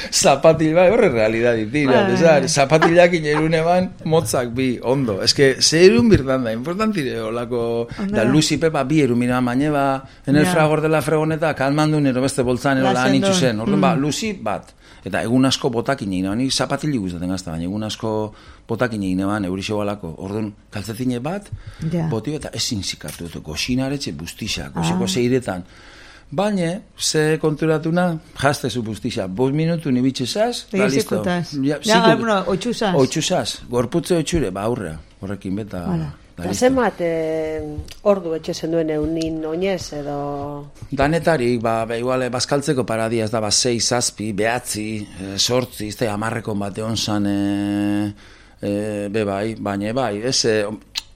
Zapatil, bai, horre realidad ditira, desar, zapatilak inerune ban, motzak bi, ondo. Ez que, ze erun birtan da, importantire, olako, da Luzi Pepa bi erumina baina, ba, en el fragor de la fregoneta, kalmandu nero beste boltzan, ero lan itxu zen, orduan, ba, Luzi bat. Eta egun asko botakin egin, nik zapatilik gustaten gazta, baina egun asko botakin egin eban, eurixo balako. Orduan, kaltzatine bat, yeah. Boti eta ezin zikatu, goxinaretxe bustixak, goxeko ah. Zeiretan. Baina, ze konturatuna, jaztezu bustixak, bost minutu nibitxezaz, da listo. Ja, ja bueno, otxuzaz. Otxuzaz, gorputze otxure, ba aurrea, horrekin beta... Hala. Eta zemat eh, ordu etxezen duen eunin oinez edo... Danetarik, ba, ba igual, bazkaltzeko paradia ez da, ba, sei, zazpi, behatzi, e, sortzi, ez da, amarrekon bate onzan, e, e, be bai, baina bai, ez, e,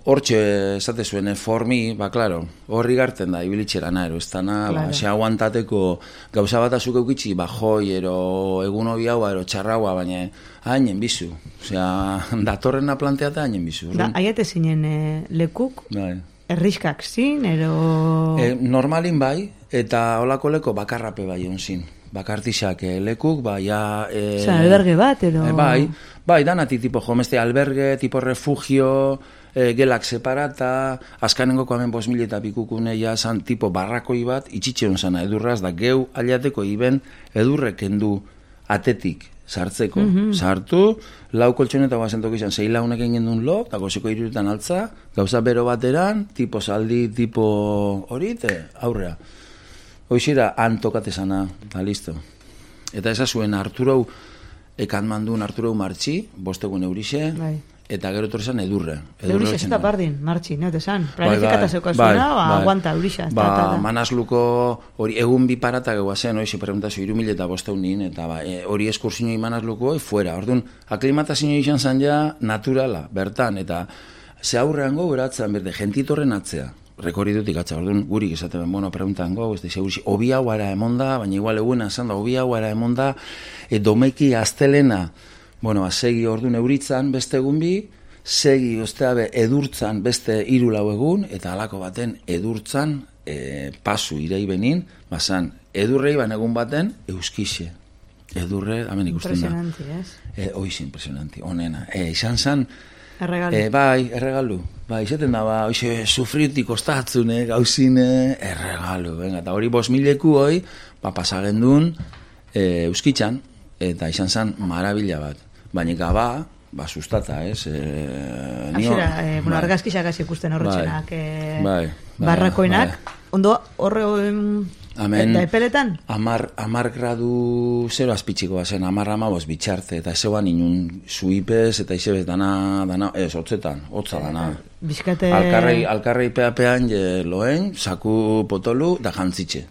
hortxe esate zuen, formi, ba, klaro, horri garten da, ibilitxera naero, ez dana, Claro. ba, se aguantateko gauza bat azuk eukitzi, ba, joi, ero egun hobi haua, ero txarraua, baina hainen bizu. Osea, datorrena planteata hainen bizu. Da, aiate zinen eh, lekuk, Bai. erriskak zin, ero... E, normalin bai, eta holako leko bakarrape bai onzin. Bakartixak eh, lekuk, bai, ja... E, Osa, alberge bat, ero... e, bai, bai, danati tipo jomeste alberge, tipo refugio, e, gelak separata, azkanengoko hemen bos mila eta pikukune ja zan tipo barrakoi bat, itxitxeron zana edurraz, da geu aliateko iben edurrek kendu atetik sartzeko. Mm-hmm. Sartu, lau koltsoneta guazentok izan, zei launek egin duen lo, eta gozeko iruretan altza, gauza bero bateran, tipo saldi, tipo hori, te aurrea. Hoxira, han tokatezana, eta listo. Eta ezazuen Arturou, ekan mandun Arturou martxi, bostegun eurixe, Bai. eta gero etorrezan edurre. Eurixa ez eta bardin, martxi, neote zan. Planifikata zeukazuna, ba, aguanta eurixa. Ba, manazluko hori egun bi parata gehuazen, hori, preguntazio, iru mila eta bosteunin, eta ba, e, hori eskursinoi manazluko, fuera. Orduan, aklimatazio izan zan ja naturala, bertan, eta ze aurrean gau eratzen, berde, gentitorren atzea. Rekorridutik atza, orduan, gurik esaten, bueno, preguntan gau, ez da, segurisi, obi hau ara emonda, baina igual eguna esan da, obi hau ara emonda, e, domeki astelena, bueno, segi orduan euritzan beste egun bi, segi osteabe edurtzan beste hiru lau egun, eta halako baten edurtzan e, pasu irei benin, bazan, edurrei ban egun baten euskixe. Edurre, hemen ikusten da. Impresionanti, ez? E, oiz, impresionanti, onena. E, izan zan, Erregalu. e, bai, erregalu. Bai, izaten da, ba, oize, sufriutik ostatzune, gauzine, erregalu. Venga, eta hori bos mileku hoi, ba, pasagendun e, euskitzan, eta izan zan marabila bat. Baina gaba, ba, sustata, ez? E, nio, Aixera, eh, bueno, bai. argazkixak hasi ikusten horretxenak, eh, Bai, bai, barrakoenak. bai. Ondo, horre, em, Hemen, eta epeletan? Amar, amar gradu zero azpitxiko bazen, amar amabos bitxarte, eta zeuan inun zuipez, eta izebez dana, dana, ez, hotzetan, hotza dana. Bizkate... Alkarrei, alkarrei peapean je loen, saku potolu, da jantzitxe.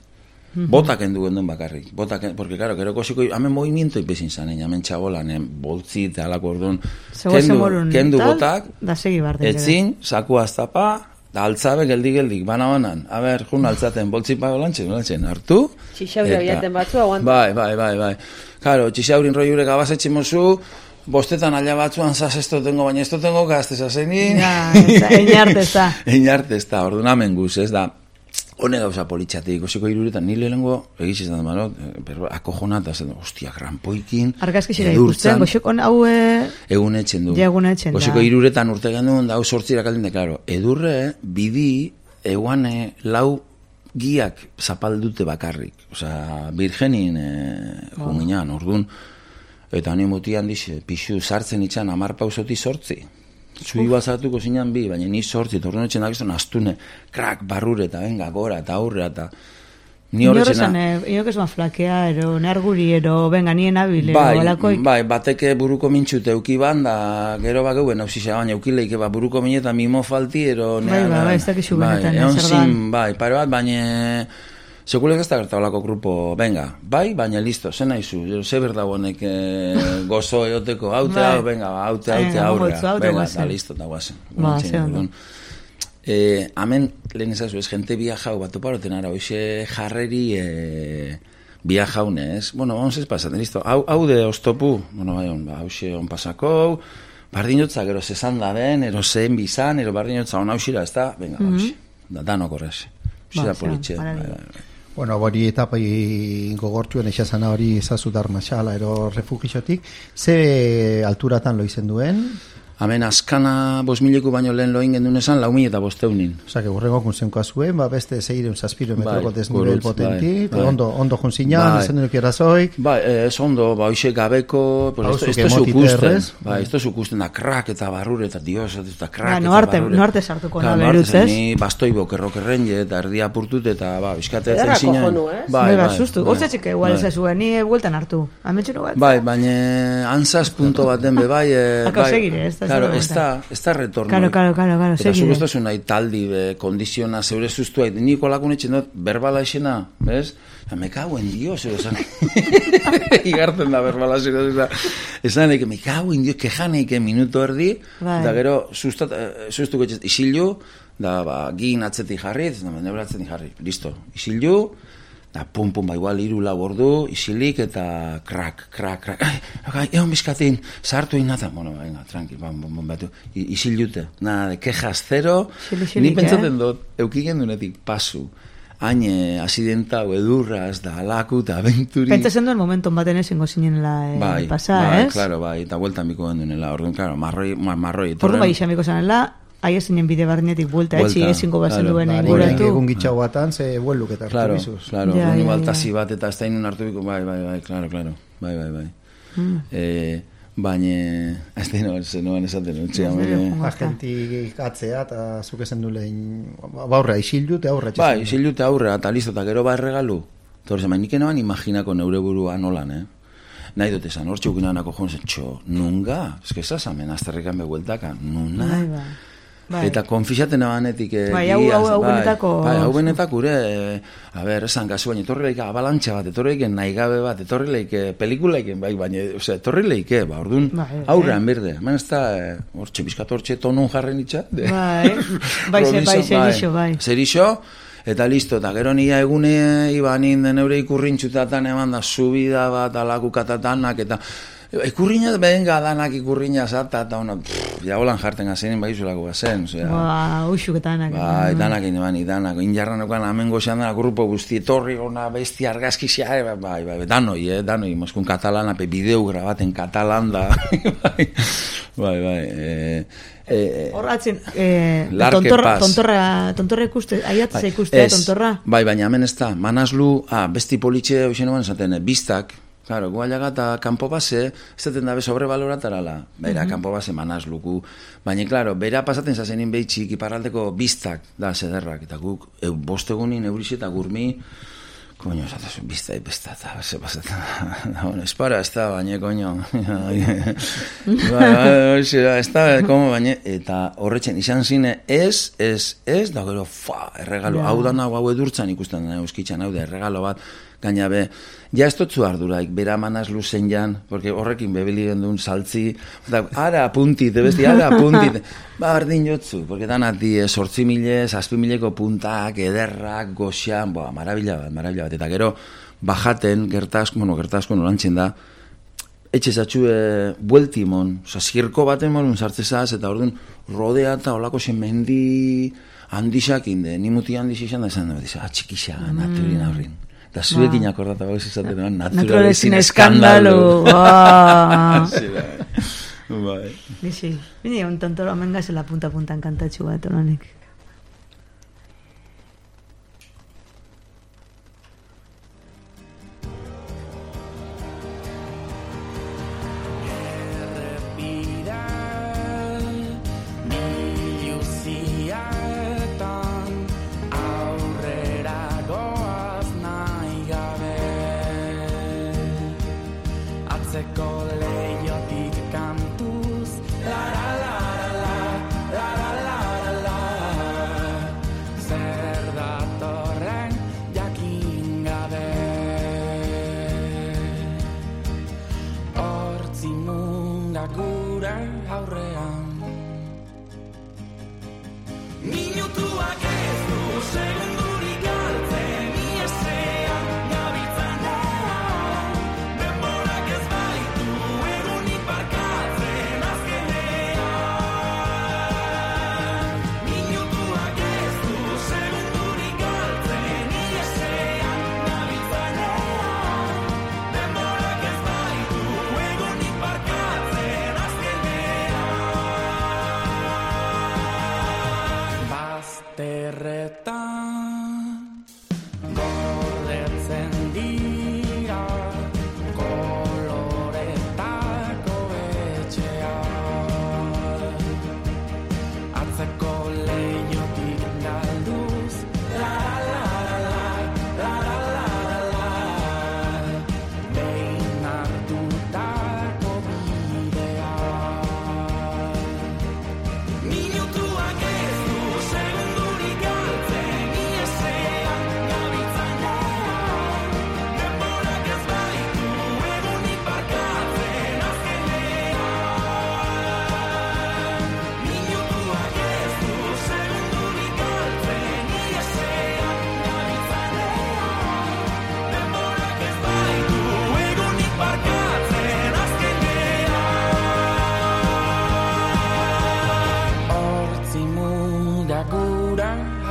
Botak endu genduen bakarrik. Botak, porque claro, gero kosiko, hamen movimiento ipezin zanen, hamen txabolan, boltzi eta alako orduan. Kendu, kendu botak, da segi barden. etzin, saku aztapa, da altzabe geldik-geldik, bana-banan. A ber, jun altzaten, boltzi pago lantxen, lantxen, hartu. Txixauri abiaten batzu, aguanta. Bai, bai, bai, bai. Claro, txixaurin roiure gabazetxe mozu, bostetan ala batzuan zaz esto tengo, baina esto tengo gazte zazenin. Ja, einarte ez da. Einarte ez da, orduan amen guz, ez da. Hone gauza politxatik, osiko iruretan, nire lehenko, egizizan da, pero akojonata, zen, ostia, granpoikin, Argazkixera ikusten, goxekon hau... Egun etxen du. Ja, egun etxen da. Osiko iruretan urte gandun, da, hau sortzirak aldin de, klaro, edurre, bidi, eguan lau giak zapaldute bakarrik. Osa, virgenin e, Oh. junginan, orduan, eta honi mutian dixe, pixu sartzen itxan, amar pausoti sortzi. Zui bazartuko zinan bi, baina ni sortzi, eta orduan etxen dakizun astune, krak, barrure, eta venga, gora, eta aurre, eta... Ni horretxena... Inok ez flakea, ero, nerguri, ero, venga, nien abil, ero, Bai, alakoik. bai, bateke buruko mintxute euki ban, da gero bakeuen, hausisa, baina eukileike, ba, buruko mineta mimo falti, ero... Bai, bai, bai, ez dakizu benetan, egon zer dan. zin, bai, pare bat, baina... Sekulek ez da gerta olako grupo, venga, bai, baina listo, zen nahizu, ze berda honek eh, gozo eoteko, haute, Bai. hau, venga, ba, haute, haute, Venga, aurrea, gogotzu, haute, venga, guazen. eta listo, eta guazen. Ba, ze ondo. Eh, amen, lehen ezazu, ez, jente biajau, bat toparoten ara, hoxe jarreri eh, biajaune, ez? Bueno, vamos ez pasaten, listo, hau, hau de oztopu, bueno, bai, on, ba, hauxe on pasako, bardinotza, gero zesan da den, ero zen bizan, ero bardinotza on hausira, ez da, venga, mm -hmm. da, danok horrez. Hoxe da Ba, politxe, zean, bai, maravilla. bai, bai. Bueno, hori etapai gogortuen esazana hori izazu darmaxala ero refugixotik, ze alturatan lo izen duen? Hemen azkana bos mileku baino lehen loin gendun esan, lau mila eta bosteunin. Osa, que burrengo kunzenkoa zuen, ba, beste zeireun zazpiro metroko Bai, desnivel gurutz, potenti, bai, bai. ondo, ondo junzinan, Bai. esan duen erazoik, Ba, ez ondo, ba, hoxe gabeko, pues Hauzu esto, esto kemotite zukusten, errez. ba, esto zukusten da krak eta barrure eta dios, eta krak Ba, eta noarte, barrure. noarte sartuko Claro, na noarte beruz, zen, ez? ni bastoi bokerrokerren je, eta erdia apurtut, eta, ba, bizkate Ederra zen zinan. kojonu, ez? Bai, bai, sustu. bai, Hortzatxik igual bai. ez zuen, ni bueltan hartu. Ametxero bat? Bai, baina antzaz punto baten be, bai, e, Akau bai, segire, ez da Claro, ez da, ez da retorno. Claro, claro, claro, claro. Eta zuk ez duzu nahi taldi, be, kondiziona, zeure zuztua, niko lakun etxen dut, berbala esena, bez? Me cago en Dios, esan. Igartzen da berbala esena. Esan eke, me cago en Dios, kejaneike minuto erdi, da gero, zuztuko etxez, isilu, da, ba, gin atzetik jarri, da, nebra atzetik jarri, listo, isilu, da, pum, pum, ba, igual, iru lau ordu, isilik, eta krak, krak, krak, ai, egon bizkatin, sartu inata, bueno, venga, tranqui, bam, bam, bam, batu, isilute, nada, de quejas zero, ni pentsaten dut, eukigen dunetik pasu, haine, asidenta, edurraz, da, alaku, eta aventuri. Pentsatzen duen momenton baten ezingo zinenela eh, bai, pasa, bai, ez? Claro, bai, eta bueltan biko gendunela, orduan, claro, marroi, marroi, orduan bai izamiko zanela, aia zinen bide barnetik buelta, etxi ezingo bazen duen inguratu. Egun gitxau batan, ze bueluk eta hartu claro, bizuz. Claro, ja, ja, baltazi bat eta ez da inun hartu biko, bai, bai, bai, claro, claro, bai, bai, bai. Mm. Eh, baina, ez da inoan, zenuen esaten, utxea, baina. Agentik atzea, eta zuk esan du lehen, baurra, isildu eta aurra. Bai, isildu eta aurra, eta listo, eta gero ba erregalu. Torre, zeman, nik enoan imaginako neure burua nolan, eh? Nahi dut esan, hor txukinanako joan zen, txo, nunga? Ez que esazamen, azterrikan behueltaka, nuna? Bai, bai. Bai. Eta konfixaten abanetik eh, bai, hau, hau, hau benetako bai, hau benetako ure eh, a ber, esan kasu baina etorri leike abalantxa bat, etorri leike nahi gabe bat, etorri leike pelikulaiken bai, baina, ose, etorri leike ba, orduan, bai, aurrean berde hemen ez da, hortxe, bizkat hortxe tonun jarren itxat de, bai, bai, ze, bai, zerixo, bai zerixo, eta listo, eta gero nia egune ibanin den eure ikurrintxutatan eman da subida bat, alakukatatanak, eta ikurriña, benga, danak ikurriña zata, eta ono, ja holan jarten gazenin, bai izulako gazen, osea. Ba, uxuketanak. Bai, danak egin, danak, injarranokan amengo xean dana grupo guzti, etorri gona, besti argazkizia, bai, bai, danoi, eh, danoi, moskun katalana, pe bideo grabaten katalan da, bai, bai, bai, eh, eh, horratzen, eh, tontorra, tontorra, tontorra ikuste, aiatzea bai, ikustea, tontorra? Bai, baina hemen ez da, manazlu, ah, besti politxe, hoxen eban esaten, bistak, claro, guaiaga eta kanpo base, ez zaten dabe sobrebaloratarala, bera, uh-huh. kanpo base manazluku, baina, claro, bera pasaten zazenin behitxik iparraldeko biztak da zederrak, eta guk, eu, bostegunin eurix eta gurmi, koño, esatazun, bizta ipesta, eta base pasatzen, bueno, espara, ez da, baina, koño, ez da, komo, baina, eta horretzen, izan zine, ez, ez, ez, da gero, fa, erregalo, hau da nahu, hau edurtzan ikusten da, euskitzan, hau da, erregalo bat, gaina be, ja ez totzu arduraik, bera manaz luzen jan, porque horrekin bebili gendun saltzi, da, ara apuntit, besti, ara apuntit, ba, bardin jotzu, porque danati, sortzi mile, zazpi mileko puntak, ederrak, goxian, boa, marabila bat, marabila bat, eta gero, bajaten, gertazko, bueno, gertazko nolantzen da, etxe zatxue bueltimon, oza, zirko baten molun sartzezaz, eta orduan, rodea eta olako zen mendi handixak inde, nimuti handix izan da, esan da, atxikisa, naturin aurrin. Eta zuekin akordata bauz izaten eman, naturalezin eskandalu. Sí, bai. Bizi, bine, un tontoro, hemen gazela punta-puntan kantatxu bat, honanik.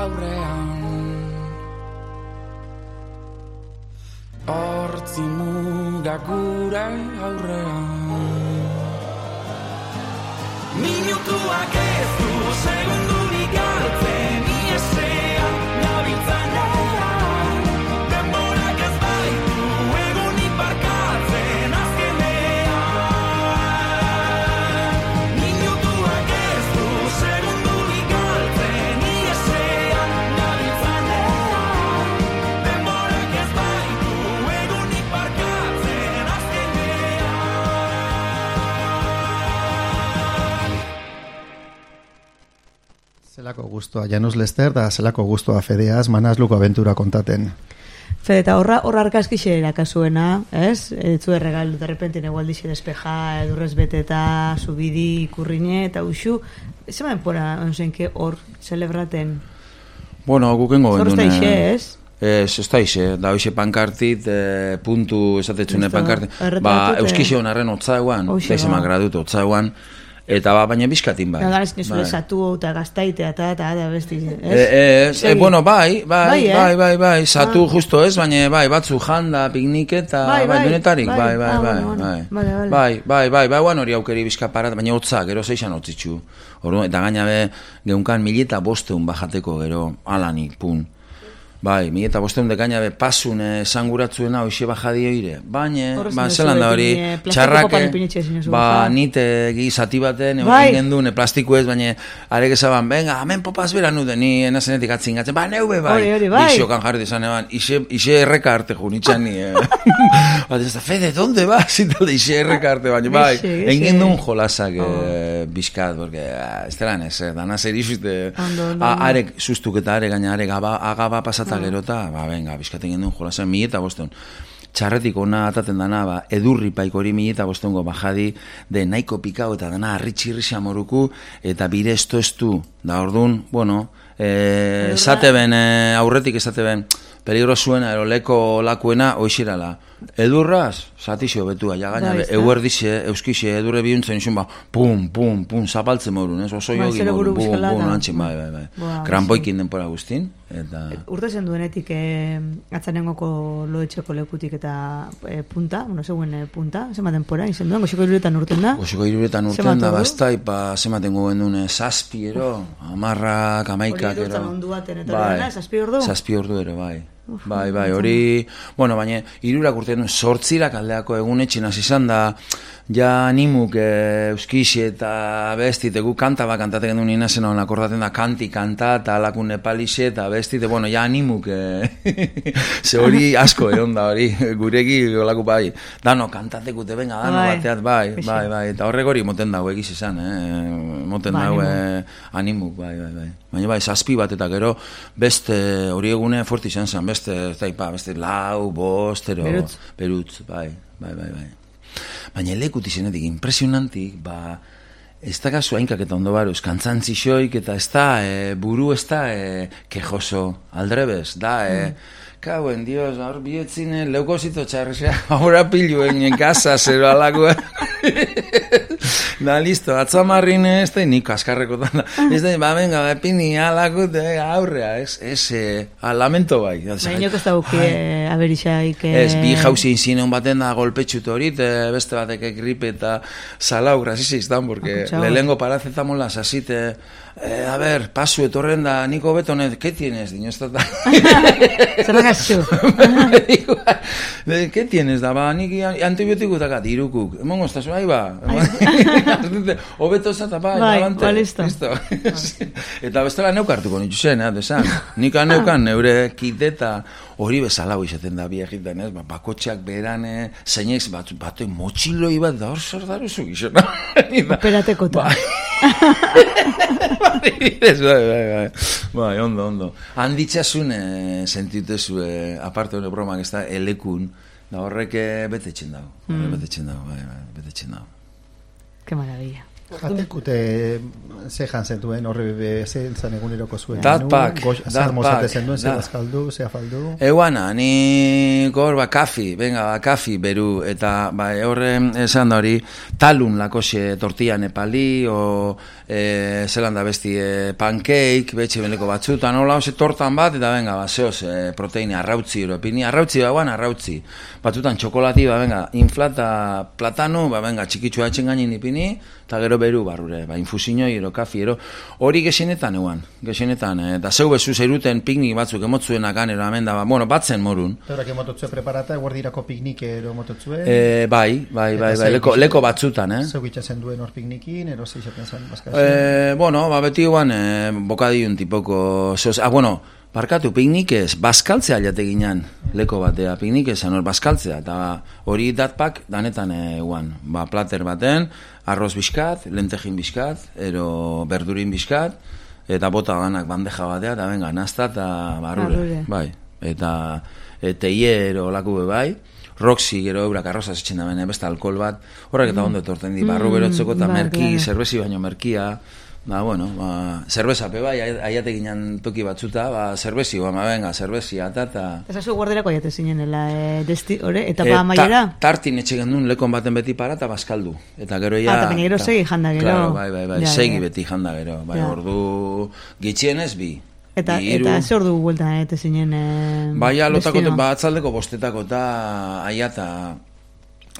aurrean hortzi mugak gure aurrean minutuak ez du segundurik galtzen iesean nabiltzanean denborak ez baitu egunik barkatzen azkenean minutuak ez du segundurik galtzen iesean nabiltzanean denborak ez baitu egunik barkatzen azkenean. Zelako guztua Janus Lester da zelako guztua Fedeaz Manasluko abentura kontaten. Fede, eta horra, horra arkaskixe erakasuena, ez? Etzu erregalu, de repente, negualdixe despeja, edurrez beteta, subidi, ikurrine, eta uxu. Zema denpora, onzenke, hor, celebraten? Bueno, gukengo Zorrozta gendune. ixe, ez? Ez, ez da ixe, da hoxe pankartit, eh, puntu esatetxune Listo, pankartit. erretratu, Ba, eh. euskixe honarren otzaguan, Hoxe, teizemak ba. gradut otzaguan, eta ba, baina bizkatin bai. Nada, ez nizule Bai. satu eta gaztaitea, eta, eta, eta, besti, ez? Eh, ez, eh, Segi. bueno, bai, bai, Bai, eh? bai, bai, bai, zatu Ah. justo ez, baina bai, batzu janda, pikniketa, Bai, bai, bai, denetarik, bai. bai, bai, Ah, bai, bueno, bueno. bai, Vale, vale. bai, bai, bai, bai, guan hori aukeri bizkaparat, baina hotza, gero zeixan hotzitxu, orduan, eta gaina be, geunkan mileta bosteun bajateko, gero, alanik, pun. Bai, mi eta bosteun dekaina be pasun esanguratzuena hoxe bajadi oire. Baina, Horrez ba, nire zelan da zuekin, hori, eh, plastiko txarrake, papan ipinitxe zinen zu ba, baja. nite gizati baten, Bai. egin gendun, plastiku ez, baina, arek esaban, venga, hemen popaz bera nude, ni enazenetik atzingatzen, ba, neube bai. Hori, hori, bai. Bixokan jarri dezan eban, ise, ise erreka arte junitxan ni, eh. Bat ez da, Fede, donde vas? Zitalde, ise erreka arte, baina, bai, Gixe, gixe. egin duen jolasak Oh. eh, bizkat, porque, ah, ez delan ez, eh, dana zer izute, Ondo, ondo, a- ondo. arek sustuk eta are gaina are gaba, agaba pasata gerota, ba, venga, bizkaten gendun jolasen mi eta bosteun. Txarretik ona ataten dana, ba, edurri paikori mi eta bosteungo bajadi, de nahiko pikau eta dana arritxirri xamoruku, eta bire esto estu, da ordun, bueno, eh, esate ben, eh, aurretik esate ben, peligro zuena, ero leko lakuena, oixirala. Edurraz, satixo betua, ja gaina, Bai, be, ezta? euerdixe, euskixe, edurre bihuntzen izun, ba, pum, pum, pum, zapaltzen morun, ez, oso Bai, jogi zero morun, buru bum, bizkala bum, da. antxin, bai, bai, bai. Boa, Krampoikin denpora guztin, eta... Urte zen duenetik eh, atzanengoko loetxeko lekutik eta eh, punta, bueno, zegoen eh, punta, zema denpora, izen duen, goxiko iruretan urten da. Goxiko iruretan urten Zenbat da, ordu? bastai, pa, zematen gogen dune, zazpi ero, amarrak, amaikak Hori iruretan ero. ondu baten, eta hori dena, zazpi ordu? Zazpi ordu ero, bai. Bai, bai, hori, bueno, baina irurak urtean sortzirak aldeako egunetxin hasi izan da, ja animuk e, euskixe eta bestite, gu kanta bat kantatek gendu nina zen hon akordaten da kanti kanta eta alakun nepalixe eta bestite, bueno, ja animuk e, ze hori asko eron da hori, gureki olako bai, dano kantatekute, venga, dano Bai, bateat, bai, pixe. bai, bai, eta horrek hori moten dago egiz esan, eh? moten Ba, dago animu. eh, animuk, bai, bai, bai. Baina bai, zazpi bat eta gero beste hori egune forti izan zen, beste, ez da, ipa, beste lau, bost, ero, Berutz. berutz, bai, bai, bai, bai. Baina lekut izenetik, impresionantik, ba, ez da gazu hainkak eta ondo baruz, kantzantzi xoik, eta ez da, e, buru ez da, e, kejoso, aldrebez, da, e, kauen, dios, hor bietzine, leukosito txarrexea, ahora piluen en casa, zero alako, da, listo, atzamarrin ez da, nik askarreko da, ez da, ba, venga, ba, pini, alako, aurrea, ez, ez, e, lamento bai. Baina inok ez da buki aberixaik... eh, Ez, bi jauzi inzinen baten da golpetxut horit, eh, beste batek gripe eta salau, grasisi izan, porque Akutxau. lehengo paracetamola sasite, eh, a ver, pasu etorren da, niko betonet, ¿qué tienes, diño, ez da? Zer gazu? ¿Qué tienes, da, ba, nik antibiotiko daka, dirukuk, emongo ez da, ahi ba, hobeto zata, ba, Bai, abante, ba, listo. Eta bestela neukartuko nitu zen, eh, desan, nik neukan neure kiteta, hori bezalau izaten da bi egiten, ez, ba, bakotxeak berane, zeinek, bat, bat, motxiloi bat, da hor zer daruzu gizona. Operatekota. Bai. Bai, bai, bai, bai, ondo, ondo. Handitxasun eh, sentituzu, eh, aparte hori bromak ez da, elekun, da horrek eh, betetzen dago, Mm. betetzen dago, bai, bai, betetzen dago. Qué maravilla. Jatekute ze jan zentuen, horre ze zan eguneroko zuen. Dat pak, Zer mozate pak, zenduen, ze da. bazkaldu, ze afaldu. Eguana, ni gor ba kafi, venga, ba kafi beru, eta ba horre esan da hori, talun lakoxe tortilla nepali, o e, zelan da besti e, pancake, betxe beleko batzutan, hola, ose tortan bat, eta venga, ba, zehoz, e, proteine, arrautzi, europini, arrautzi, ba, guan, arrautzi. Batzutan txokolati, ba, venga, inflata platano, ba, venga, txikitsua etxen gainin ipini, eta gero beru barrure, ba, infusiñoi, ero kafi, ero, hori gexenetan eguan, gexenetan, eh, eta zeu bezu zeiruten piknik batzuk emotzuenak anero, hemen da, ba, bueno, batzen morun. Eurak emototzue preparata, guardirako piknike ero emototzue. E, bai, bai, bai, bai, leko, leko batzutan, eh? Zeu itxasen duen hor piknikin, ero zeixaten zen, bazkazen. Eh, bueno, ba, beti guan, eh, bokadiun tipoko, sos, ah, bueno, barkatu, piknikez, bazkaltzea alate ginen, leko batea, piknikez, hor bazkaltzea, eta hori datpak danetan eguan, ba, plater baten, arroz bizkat, lentejin bizkat, ero berdurin bizkat, eta bota ganak bandeja batea, eta venga, nazta eta barrure, Barrure. bai, eta e, teie ero laku be bai, Roxy gero eurak arroza etxen da bene, beste alkohol bat, horrek eta ondo etorten di, barru berotzeko eta bai, merki, claro. zerbezi baino merkia, ba, bueno, ba, zerbezape bai, aiate ginen toki batzuta, ba, zerbezi, ba, venga, zerbezi, eta, eta... Ezazu guarderako jate zinenela, e, desti, ore, eta Eh, pa amaiera? ta- tartin etxe gendun lekon baten beti para eta bazkaldu. Eta gero ja... Ah, eta baina gero segi janda gero. Claro, bai, bai, bai, Ja, segi ja. beti janda gero. Bai, Ja. ordu gitxienez bi. Eta, Bi, hiru. eta ze ordu bueltan ete zinen e, Baina lotako, destino? ba, atzaldeko bostetako eta aiata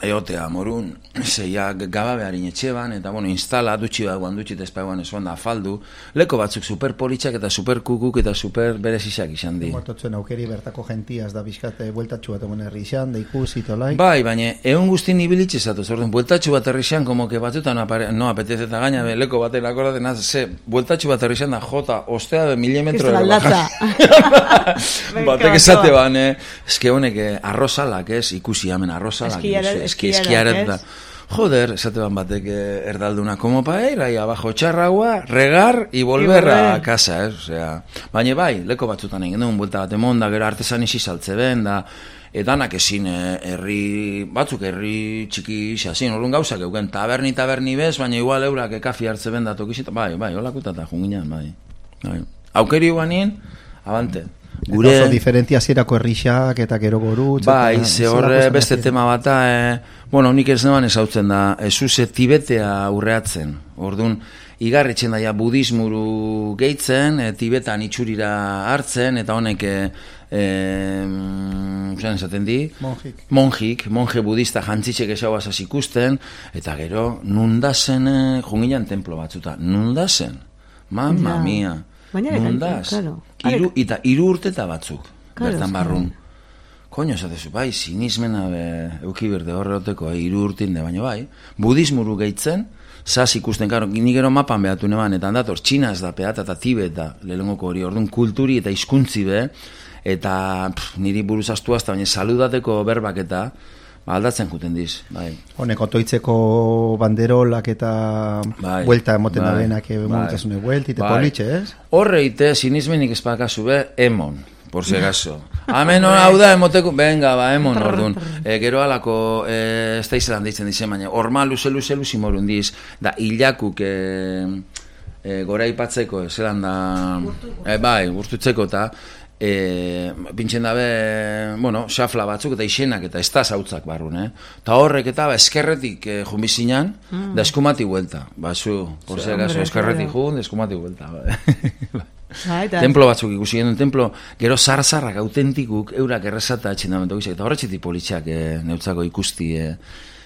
eotea morun, zeia gaba beharin etxeban, eta bueno, instala, dutxi bat guan dutxi, eta espaiguan esuan da afaldu, leko batzuk super politxak eta super kukuk eta super berezizak izan di. Mototzuen aukeri bertako gentiaz da bizkate bueltatxu bat egon herri izan, da ikusi tolai. Bai, baina egun guztin ibilitxe zatoz, orduan, bueltatxu bat herrixan, como que batzutan no, apare, no apetece eta gaina, be, leko baten akordaten az, ze, bueltatxu bat herrixan da, jota, ostea de milimetro Kristo ero aldatza. bajan. Batek esate ban, eh, eske honek eh, arrozalak, ez, ikusi hemen arrozalak, Eskiara- ikusi, eski eskiarak, eskiaret da. ez? Joder, esate ban batek eh, erdalduna, como pa ir ahí abajo echar agua, regar y volver volver. a casa, ez, osea, baina bai, leko batzutan egin duen, buelta bat emon, da gero artesan isi saltze ben, da, edanak ezin eh, herri, batzuk herri txiki xasin, orduan gauzak euken, taberni, taberni bez, baina igual eurak ekafi hartze ben da tokizita, bai, bai, holakutata junginan, bai, bai. Aukeri guanin, abante. Gure... Oso diferentia zierako herrixak eta gero gorutz. Bai, eta ze zelako horre zen beste ez tema bata, eh, bueno, nik ez neban ezautzen da, ezuze Tibetea urreatzen, orduan, igarritzen daia budismuru gehitzen, e, Tibetan itxurira hartzen, eta honek, e, e, zan esaten di? Monjik. Monjik, monje budista jantzitxek esauazaz ikusten, eta gero, nundazen, e, junginan templo batzuta, nundazen, mamma Ja. mia, Baina ere, nundaz, claro. iru, eta iru urteta batzuk, Claro, bertan eske- barrun. Koño, esatezu, bai, sinismena be, euki berde horreteko, eh, hiru urtin de, baina bai, budismuru gehitzen, zaz ikusten, karo, ni gero mapan behatu neban, eta handator, Txinaz da peata eta Tibet da, lehengoko hori, orduan kulturi eta hizkuntzi be, eta pff, niri buruz astu hasta, baina saludateko berbak eta, ba, aldatzen juten diz, bai. Honek otoitzeko banderolak eta Bai, buelta emoten bai, da benak bai. momentasune buelti, eta Bai. politxe, ez? Horreite, sinismenik espakazu be, emon, por si acaso. Hemen hau da, emoteko, venga, ba, emon, orduan. E, gero alako, e, ez da izelan deitzen dizen, baina, orma luze, luze, luze morun diz, da, hilakuk, e, e, gora ipatzeko, zelan da, e, bai, gurtutzeko, eta, e, pintxen dabe, bueno, xafla batzuk eta isenak eta ez da zautzak barrun, eh? Ta horrek eta ba, eskerretik eh, jumbizinan, Mm. da eskumati huelta. Ba, zu, por si acaso, hombre, eskerretik claro. jun, da eskumati huelta. Ba. Ba, eta- Templo batzuk ikusi genuen, templo, gero zar-zarrak autentikuk, eurak errezata etxendamentu gizak, eta horretxetik politxak eh, neutzako ikusti eh,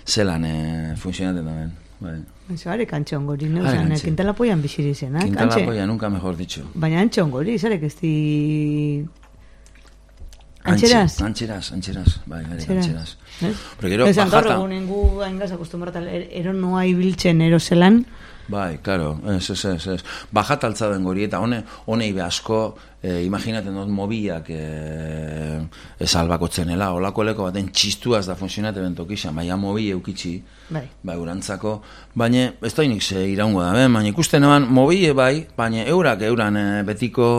zelan eh, funtzionaten daben. Bai. Eso, are kantxe ongori, Are neuzan, kantxe. kintalapoian biziri zen, eh? Quintala Kantxe. polla, nunca mejor dicho. Baina antxe ongori, zarek ez di... Antxeraz? Antxeraz, antxeraz, bai, bai, antxeraz. Ez? Pero gero, Esan gaur bajata... egunen gu haingaz akustumbrata er, ero noa ibiltzen erozelan, Bai, claro, ez, ez, ez, ez. Bajat altza den gori, eta hone, honei be asko, eh, imaginaten dut mobilak eh, ez albakotzenela, olako leko baten txistuaz da funtzionate bentokixan, baina mobil eukitzi, bai. bai, urantzako, baina ez da inik ze iraungo da, ben, baina ikusten eban mobile bai, baina eurak euran eh, betiko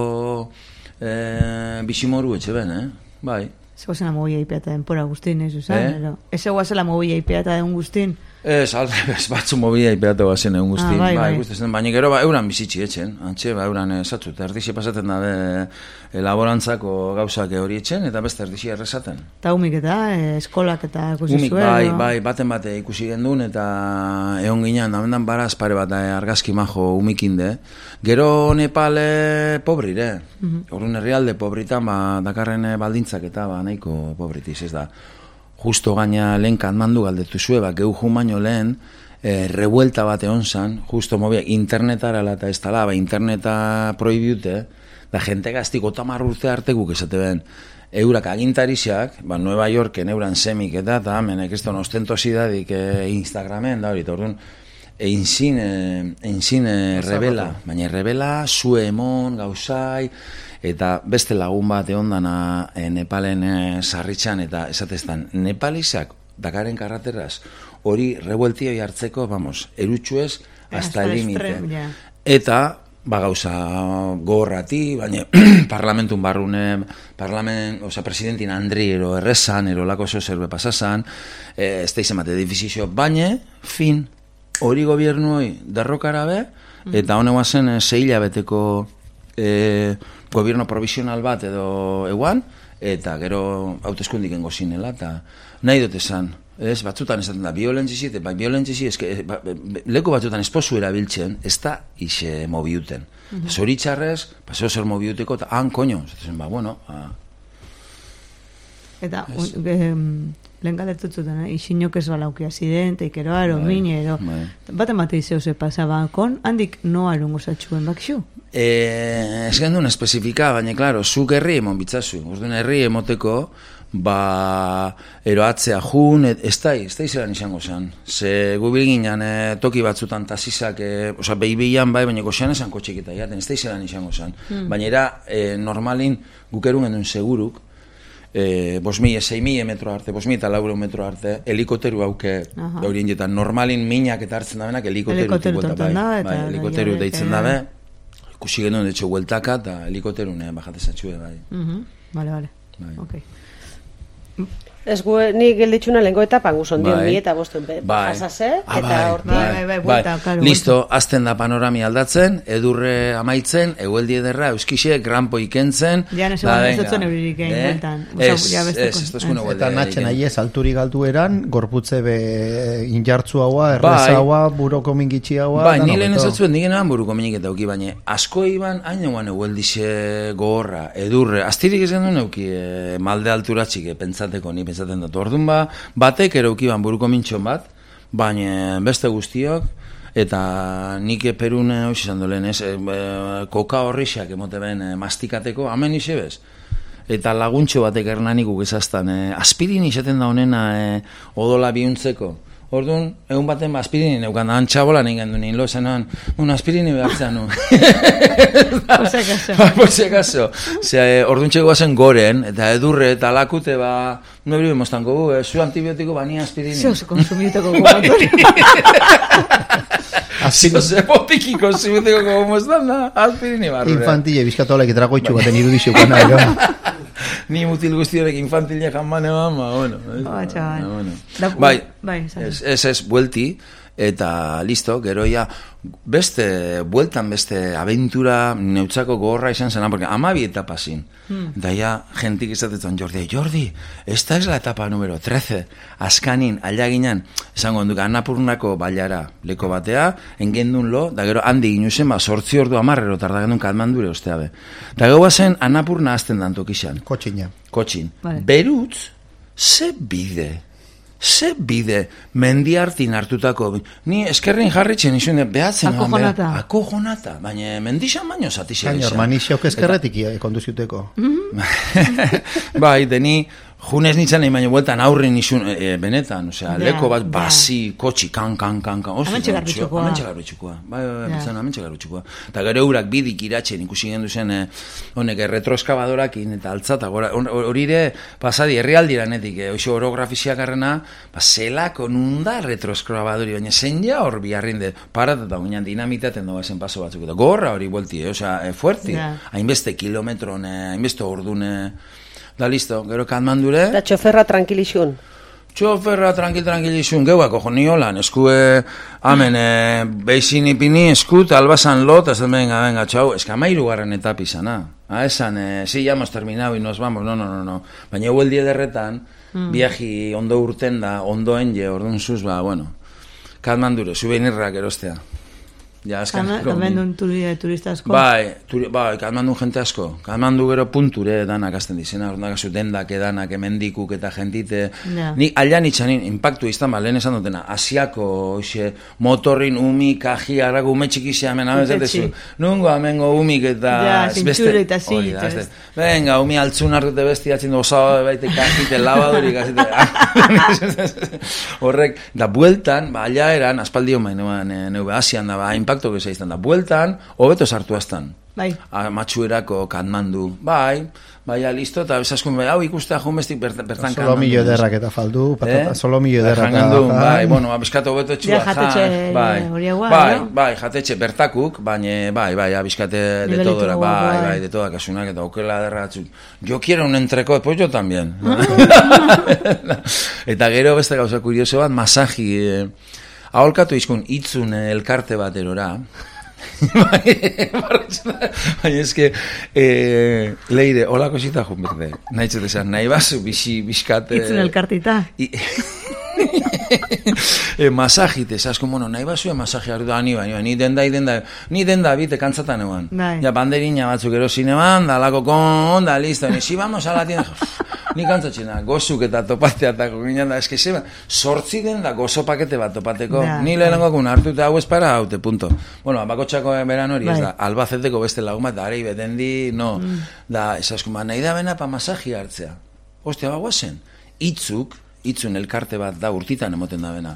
eh, bisimoru etxe ben, eh? Bai. Zego zena mobila ipea eta denpora guztin, ez, usan? Eh? Eh? Ez zego zela mobila ipea eta den guztin, Ez, aldrebez, batzu mobila iperatu bazen egun guzti. Ah, bai, bai. Ikusten, baina gero ba, euran bizitzi etxen. Antxe, ba, euran esatzut, erdixe pasaten dabe elaborantzako gauzak hori etxen, eta beste erdixe errezaten. Eta humik eta eh, eskolak eta ikusi Umik, zuen. bai, edo? bai, baten bate ikusi gendun, eta egon ginean, da bendan baraz pare bat eh, argazki majo umikinde. Gero Nepal pobrire, mm -hmm. herrialde pobritan, ba, dakarren eh, baldintzak eta ba, nahiko pobritiz, ez da. Justo gaina lehen kanmandu galdetu zue, ba, gehu jun baino lehen, e, revuelta bat egon zan, justo mobia, internetara eta ez tala, ba, interneta prohibute, da jente gaztiko tamar urte arte guk esate ben, eurak agintarisak, ba, Nueva Yorken euran semik eta, eta menek ez don ostentosidadik e, Instagramen, da hori, orduan, einzin, e, einzin e, rebela, baina rebela, zue emon, gauzai, eta beste lagun bat egon dana e, Nepalen e, sarritxan, eta esateztan, Nepalizak Dakaren karrateraz, hori revueltioi hartzeko, vamos, erutxuez, hasta el límite. Eta, ba gauza gogorrati, baina parlamentun barrune, parlament, oza, presidentin Andri ero errezan, ero lako zo zerbe pasasan, e, ez da izan bate difizizio, baina, fin, hori gobiernuoi derrokara be, eta hone guazen e, zeila beteko e, gobierno provisional bat edo eguan, eta gero hauteskundiken gozinela, eta nahi dut esan, ez, batzutan esaten da, violentzizi, eta bai, violentzizi, eske, ba, leku batzutan esposu erabiltzen, ez da ise mobiuten. Mm-hmm. Zoritxarrez, paseo zer mobiuteko, eta han, koño, zaten, ba, bueno, a... Eta, lehen galetutzen, eh? Isinok ez balaukia ziren, teikero aro, mine, ero. Baten bate izeo ze pasaba, kon, handik no arungo zatxuen bakxu? Eh, ez gendun espezifika, baina, klaro, zuk herri emon bitzazu. Orduan herri emoteko, ba, eroatzea jun, ez da, ez da izeran izango zen. Ze gubil ginen e, toki batzutan tasizak, e, oza, behibilan bai, baina goxean esan kotxek eta jaten, ez da izeran izango zen. Hmm. Baina era, e, normalin, gukerun gendun seguruk, e, bos mila, sei mila metro arte, bos mila eta lauro metro arte, helikoteru hauke, horien jetan, normalin minak eta hartzen da benak, helikoteru tonton da, eta... Bai, helikoteru deitzen dabe, ikusi genuen, de hecho, hueltaka, eta helikoteru, ne, bajatezatxue, bai. Vale, vale, ok. Ez gu, ni gelditxuna lehenko etapan guzon bai. Dion, ni eta bostuen bai. Jasase, ah, eta bai. horti. Bai, bai, bai, buelta, bai. Listo, azten da panorami aldatzen, edurre amaitzen, egueldi ederra, euskixe, granpo ikentzen. Ja, nese guan ez dutzen euririk egin, eh? bueltan. Ez, ez, ez duzkun egueldi. Eta natxen ahi ez, alturi galdu eran, gorputze be injartzu haua, erreza haua, buroko mingitxi haua. Bai, ni lehen ezatzuen digenean buruko minik eta auki, baina asko iban, hain eguan egueldixe gogorra, edurre, astirik ez gendun euki e, malde alturatxik, e, pentsateko, ni pentsaten dut. Orduan ba, batek eraukiban buruko mintxon bat, baina beste guztiok, eta nik perun hox izan dolen, ez, e, koka horrixak emote ben e, mastikateko, hamen isebez. Eta laguntxo batek ernanik ugezaztan, e, aspirin izaten da honena e, odola biuntzeko. Orduan, egun baten aspirini neukan da, antxabola nahi gendu nien, lo zenuan, un aspirini behartzen nu. Por si acaso. Por si acaso. Orduan txeko bazen goren, eta edurre, eta lakute, ba, no ebri bemostanko gu, zu antibiotiko bani aspirini. Zeo zu konsumiteko gomotori. Zeo ze potiki konsumiteko gomostan da, aspirini barrure. Infantile, bizkatolak etragoitxu baten irudizio kana, Ni mutil guztiorek infantilia jamane bama, bueno. Oh, txaban. Bueno. Bai, bai ez, ez, ez, buelti, eta listo, gero ya, beste, bueltan beste aventura neutzako gogorra izan zena, porque amabi etapa zin. Hmm. Eta ya, jentik izatetan Jordi, Jordi, esta es la etapa número trece, askanin, aldaginen, esango onduk, Annapurnako bailara leko batea, engendun lo, da gero handi ginuzen, ba, sortzi ordu amarrero, tarda gendun Katmandure ostea be. Da gero bazen Annapurna azten dantokixan. Kotxina. Kotxin. Vale. Berutz, ze bide, ze bide, mendiartin hartutako, ni eskerrin jarritzen izun, behatzen. Akojonata. Be, akojonata, baina mendixan baino zatixera izan. Gainor, manixeok eskerretik konduziuteko. Bai, deni, junez nintzen nahi baino bueltan aurrin izun, e, benetan, osea, Ja, leko bat ja. basi, kotxi, kan, kan, kan, kan. Hementxe garbitxukoa. Hementxe garbitxukoa. Bai, bai, bai, Ja. bizan, hementxe garbitxukoa. Eta gero eurak bidik iratzen ikusi gendu zen, eh, honek, eh, retroeskabadorakin eta altzata, gora, hori ere, pasadi, herrialdiranetik, eh, oixo orografiziak arrena, ba, zelako nunda retroeskabadori, baina zen ja hor biharrin de, parat eta guinan dinamitaten doa zen paso batzuk, eta gorra hori buelti, eh, osea, eh, fuerti, Ja. hainbeste kilometron, eh, hainbeste ordune, da listo, gero Katmandure, Eta txoferra tranquilixun. txoferra tranquil-tranquil izun, geuako jo niolan, eskue, amen, e, beixin ipini, eskut, albasan lot, ez venga, venga, txau, eska amairu garren etapizana. Ah, esan, eh, sí, ya hemos terminado y nos vamos, no, no, no, no. Baina hueldi ederretan, mm. viaji ondo urten da, ondo enge, orduan zuz, ba, bueno, Katmandure, souvenirrak erostea. Ja, azken, Katmandun turista asko? Bai, turi, bai, Katmandun jente asko. Katmandu gero punture danak azten dizena, orduan gazu dendak edanak, emendikuk eta jentite. Yeah. Ni alian itxanin, impactu izan, ba, lehen esan dutena, asiako, oxe, motorrin, umi, kaji, arago, ume txikizia, hemen, abezatezu. Nungo, amengo, umik eta... Ja, zintxure eta zilitez. Venga, umi altzun hartute besti atzin osa baite kajite, labadurik, azite. Horrek, da bueltan, ba, alia eran, aspaldi homain, neube, asian da, ba, impacto que se izan da. Bueltan, hobeto sartu aztan. Bai. Matxuerako Katmandu. Bai, baina listo, eta bezaskun, hau ikustea jumbestik bertan Katmandu. Solo millo ederrak eta faldu, patata, eh? Solo millo ederrak. Jangandu, bai, bueno, abizkatu hobeto txua. Ja, jatetxe hori bai, bai, bai, jatetxe bertakuk, baina, bai, bai, abizkate de todora, bai, bai, de toda kasunak, eta okela derratzuk. Yo quiero un entreko, pues yo también. Eta gero beste gauza kurioso bat, masaji, eh, aholkatu izkun itzun elkarte bat erora. Baina eske eh, leire, holako zita jun berde. Nahi txete esan, nahi bazu bixi, bizkate... Itzun elkartita. I... e, masajite, esasko, bueno, nahi bazu masaji hartu da, ni baina, ni denda, denda, ni denda bite kantzatan eban. Ja, banderina batzuk erosin eban, da lako kon, da listo, ni si vamos a la tienda... Ni kantzatxena, gozuk eta topateatako ginen da, eske zeba, sortzi den da gozo pakete bat topateko. Da, ni lehenengo kun hartu eta hau espara haute, punto. Bueno, bakotxako beran hori, ez da, Albazeteko beste lagun bat, da, arei betendi, no, mm. da, esaskuma, nahi da bena pa masaji hartzea. Ostia, bagoazen, itzuk, itzun elkarte bat da, urtitan emoten da bena.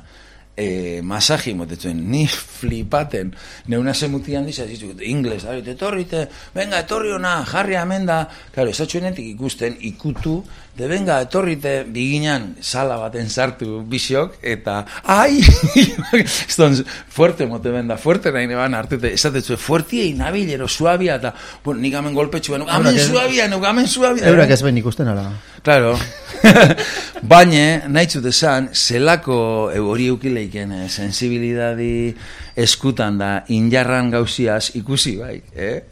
E, masaji motetzen, ni flipaten, neuna zemutian dizaz, ingles, etorrite, venga, etorri ona, jarri amenda, claro, esatxuenetik ikusten, ikutu, de venga, etorrite, biginan, sala baten sartu bisiok, eta, ai, eston, fuerte mote benda, fuerte nahi neban hartute, esatetzu, fuertie inabilero, suabia, eta, bueno, nik amen golpetxu, amen suabia, nuk amen suabia. Eurak ez ben ikusten ala. Claro, baina, nahi txut esan, zelako hori eukileiken eh, sensibilidadi eskutan da injarran gauziaz ikusi bai, eh?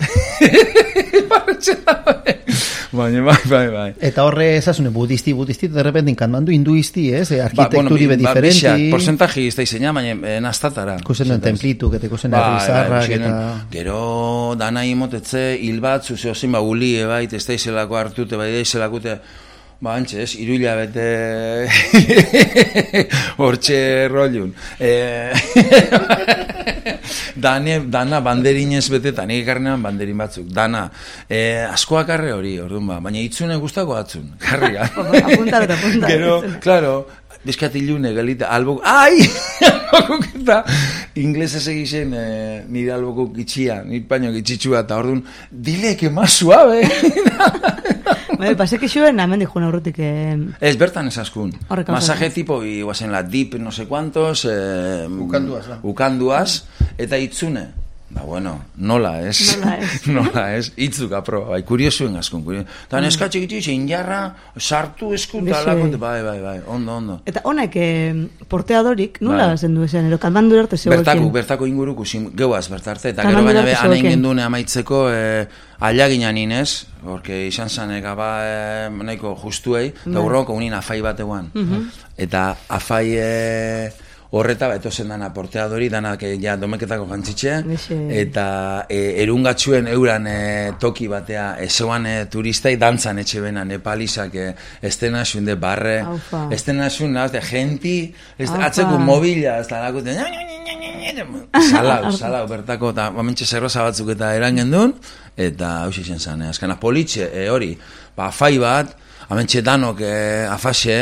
Baina, bai, bai, bai. Eta horre esasune, budisti, budisti, de repente Katmandu hinduisti, ez? Eh? Arquitekturi ba, bueno, be diferenti. Ba, porcentaji ez da izena, baina nastatara. Kusen den templitu, que te kusen errizarrak, eta... Gero, dana imotetze, hil bat, zuzeo zin, ba, ulie, bai, ez da izelako hartute, bai, da izelakute... Ba, antxe, ez, iruila bete hortxe rollun. E... Dane, dana banderinez bete, eta nik ekarrenean banderin batzuk. Dana, e, askoak arre hori, orduan ba, baina itzune guztako atzun. Karriga. Apuntar eta apuntar. Gero, claro, bizkatilune, galita, albok, ai! Albokuk eta inglesez egiten eh, nire albokuk itxia, nire paño itxitsua, eta orduan, dile que más suave. Bai, pasek xuen, hemen dijun aurrutik... Eh... Ez, bertan esaskun. Masaje tipo, iguazen la dip, no sé cuantos... Eh, ukanduaz, ba. Ukanduaz, eta itzune. Ba, bueno, nola ez. Nola ez. Nola ez. Itzuk apro, bai, kuriosuen askun. Eta mm. neskatxik itxik, injarra, sartu eskut, alakot, bai, bai, bai, ondo, ondo. Eta honek, eh, porteadorik, nola bai. Zendu esan, ero, Katmandu arte zegoekin? Bertako, bertako inguruko, geuaz bertarte, eta gero baina be, anein gendune amaitzeko... Eh, Aliaginan inez, porque izan zanek aba e, nahiko justuei, eta urroko unin afai bat eguan. Uh-huh. Eta afai e, horreta, eto zen dana porteadori, danak e, ja domeketako jantzitxe, eta e, erungatxuen euran e, toki batea, e, zeuan e, turistai dantzan etxe bena, nepalizak e, estena zuen de barre, estena zuen, nahazte, genti, atzeko mobila, ez da lakute, salau, salau, bertako, eta momentxe zerroza batzuk eta erangen duen, eta hausi zen zen, eh? Azkana politxe, eh, hori, ba, afai bat, amentxe danok eh, afaxe,